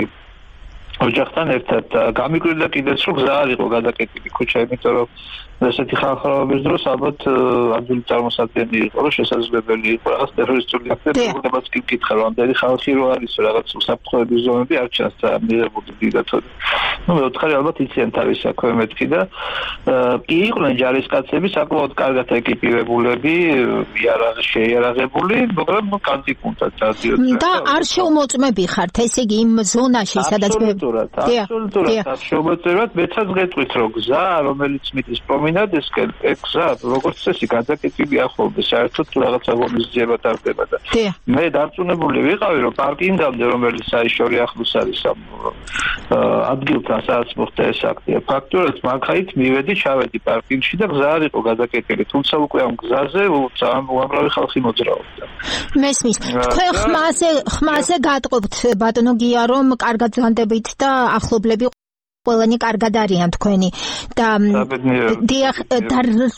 ოჯახთან ერთად გამიკვირდა კიდეც რომ გზა არ იყო გადაკეტილი ქუჩა, იმიტომ რომ ესეთი ხალხაობის დროს ალბათ ადგილი წარმოსადგენელი იყო, რომ შესაძლებელი იყო რაღაც ტერორისტული აქტებებიც კი მკითხა, რომ ამდენი ხალხი რო არის რაღაც უსაფრთხოების ზონები არ ჩანს და მიღებული დიდათოდ. ნუ მეოთხარი ალბათ იციან თავის საქმე მეთქი და კი იყვნენ ჯარისკაცები საკმაოდ კარგად ეკიპირებულები, შეიარაღებული, მაგრამ კანტიკუნდად და არ შეუმოწმები ხართ, ესე იგი იმ ზონაში სადაც აბსოლუტურად შეუმოწმებად მეცაც გეტყვით რომ გზა რომელიც მიდის პრომინადესკენ გზა როგორც წესი გადაკეტილი ახლოვდა საერთოდ რაღაცა ღონისძიება ტარდება და მე დარწმუნებული ვიყავი რომ პარკინგამდე რომელიც საიშორი ახლოს არის ამ ადგილთან სადაც მოხდა ეს აქტი ფაქტურად მაგხაით მივედი ჩავედი პარკინგში და გზა არ იყო გადაკეტილი თუმცა უკვე ამ გზაზე უამრავი ხალხი მოძრაობდა მესმის თქვენ ხმაზე გატყობთ ბატონო გია რომ კარგად ზანდებით და ახლობლები ყველანი კარგად არიან თქვენი და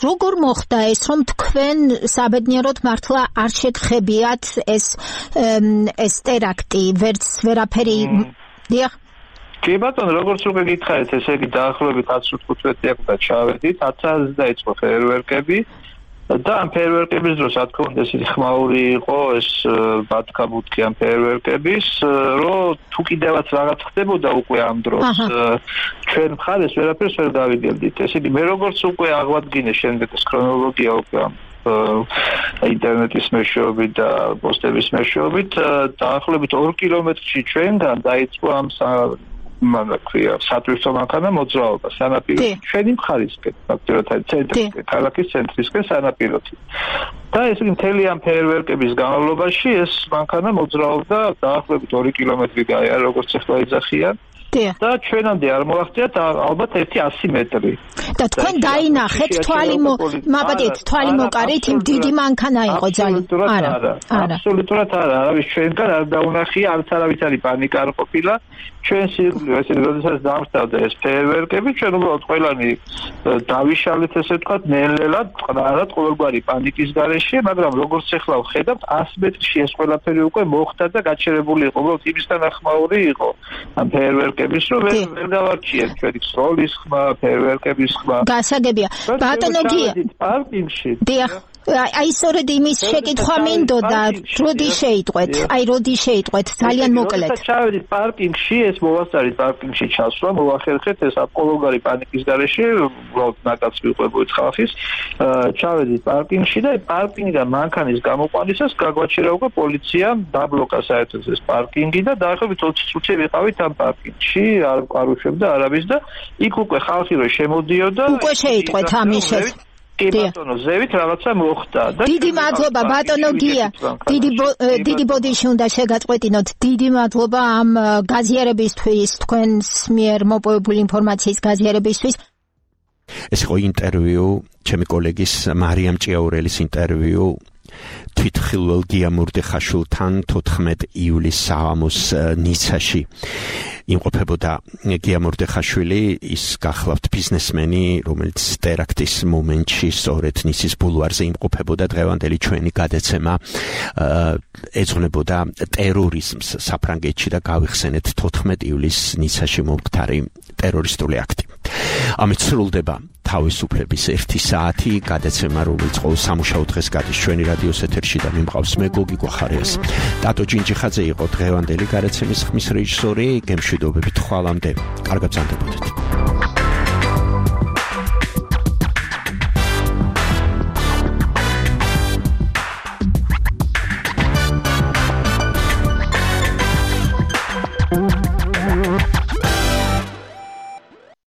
როგორ მოხდა ეს რომ თქვენ საბედნიეროდ მართლა არ შეგხებიათ ეს ტერაქტი ვერაფერი დიახ კი ბატონო როგორც უკვე გითხარით ესე იგი დაახლოებით 10-15 წუთი ჩავედით 10 საათზე დაიწყო ფეერვერკები და ამ ფეერვერკების დროს რა თქმა უნდა ესეთი ხმაური იყო ეს ბათქაბუთქი ამ ფეერვერკების რომ თუ კიდევაც რაღაც ხდებოდა უკვე ამ დროს ჩვენ მხარეს ვერაფერს ვერ დავიდებდით ესე იგი მე როგორც უკვე აღვადგინე შემდეგ ეს ქრონოლოგია უკვე ინტერნეტის მეშვეობით და პოსტების მეშვეობით დაახლოებით 2 კილომეტრში ჩვენგან დაიწყო ამ სატვირთო მანქანა მოძრაობა სანაპიროში ჩვენი მხარისკენ ფაქტობრივად ცენტრისკენ ქალაქის ცენტრისკენ სანაპიროთი და ეს მთელი ამ ფეერვერკების განმავლობაში ეს მანქანა მოძრაობდა დაახლოებით 2 კილომეტრი გაია როგორც ახლა იძახიან და ჩვენამდე არ მოაღწიათ ალბათ 100 მეტრი და თქვენ დაინახეთ თვალი მოკარით იმ დიდი მანქანა იყო ძალიან აბსოლუტურად არა არავის ჩვენგან არ დაუნახია არც არავის პანიკა არ ყოფილა ჩვენ სიკვდილო ესე როდესაც დამხტავდა ეს ფეერვერკები ჩვენ უბრალოდ ყველანი დავიშალეთ ესე ვთქვათ ნელ-ნელად წყნარად ყოველგვარი პანიკის გარეშე მაგრამ როგორც ახლა ვხედავთ 100 მეტრში ეს ყველაფერი უკვე მოხდა და გაჩერებული იყო უბრალოდ იმისთან ახმაური იყო ამ ფეერვერკების რომ ვერ დავარჩიეთ ჩვენი სროლის ხმა ფეერვერკების ხმა გასაგებია ბატონო გია პარკინგში დიახ აი სწორედ იმის შეკითხვა მინდოდა როდი შეიტყვეთ ძალიან მოკლედ ჩავედით პარკინგში ეს მოვასწარით პარკინგში ჩასვლა მოვახერხეთ ეს აპოლოგარი პანიკის გარეშე უბრალოდ ნაკაც ვიყვებოდით ხალხის ჩავედით პარკინგში და პარკინგიდან მანქანის გამოყვანისას გაგვაჩერა უკვე პოლიციამ დაბლოკა საერთოდ ეს პარკინგი და დაახლოებით 20 წუთი ვიყავით ამ პარკინგში არ უშვებდა არავის და იქ უკვე ხალხი რო შემოდიოდა უკვე შეიტყვეთ ამის კი ბატონო, ზევით რაღაცა მოხდა და დიდი მადლობა ბატონო გია. დიდი ბოდიში უნდა შეგაწყვეტინოთ. დიდი მადლობა ამ გაზიარებისთვის, თქვენს მიერ მოპოვებული ინფორმაციის გაზიარებისთვის. ეს იყო ინტერვიუ, ჩემი კოლეგის მარიამ ჭიაურელის ინტერვიუ თვითხილველ გიამურდეხაშვილთან 14 იულის საღამოს ნიცაში. იმყოფებოდა გიამურდეხაშვილი, ის გახლავთ ბიზნესმენი, რომელიც ტერაქტის მომენტში სწორედ ნიცის ბულვარზე იმყოფებოდა. დღევანდელი ჩვენი გადაცემა ეძღვნებოდა ტერორიზმს საფრანგეთში და გავიხსენეთ 14 იulis ნიცაში მომხდარი ტერორისტული აქტი. ამით სრულდება თავისუფლების 1 საათი გადაცემა, რომელიც ყოველ სამუშაო დღეს გადის ჩვენი რადიოს ეთერში და მიმყავს მე გოგი გვახარიას. ტატო ჯინჯიხაძე იყო დღევანდელი გადაცემის ხმის რეჟისორი. გემშვიდობებით ხვალამდე. კარგად ბრძანდებოდეთ.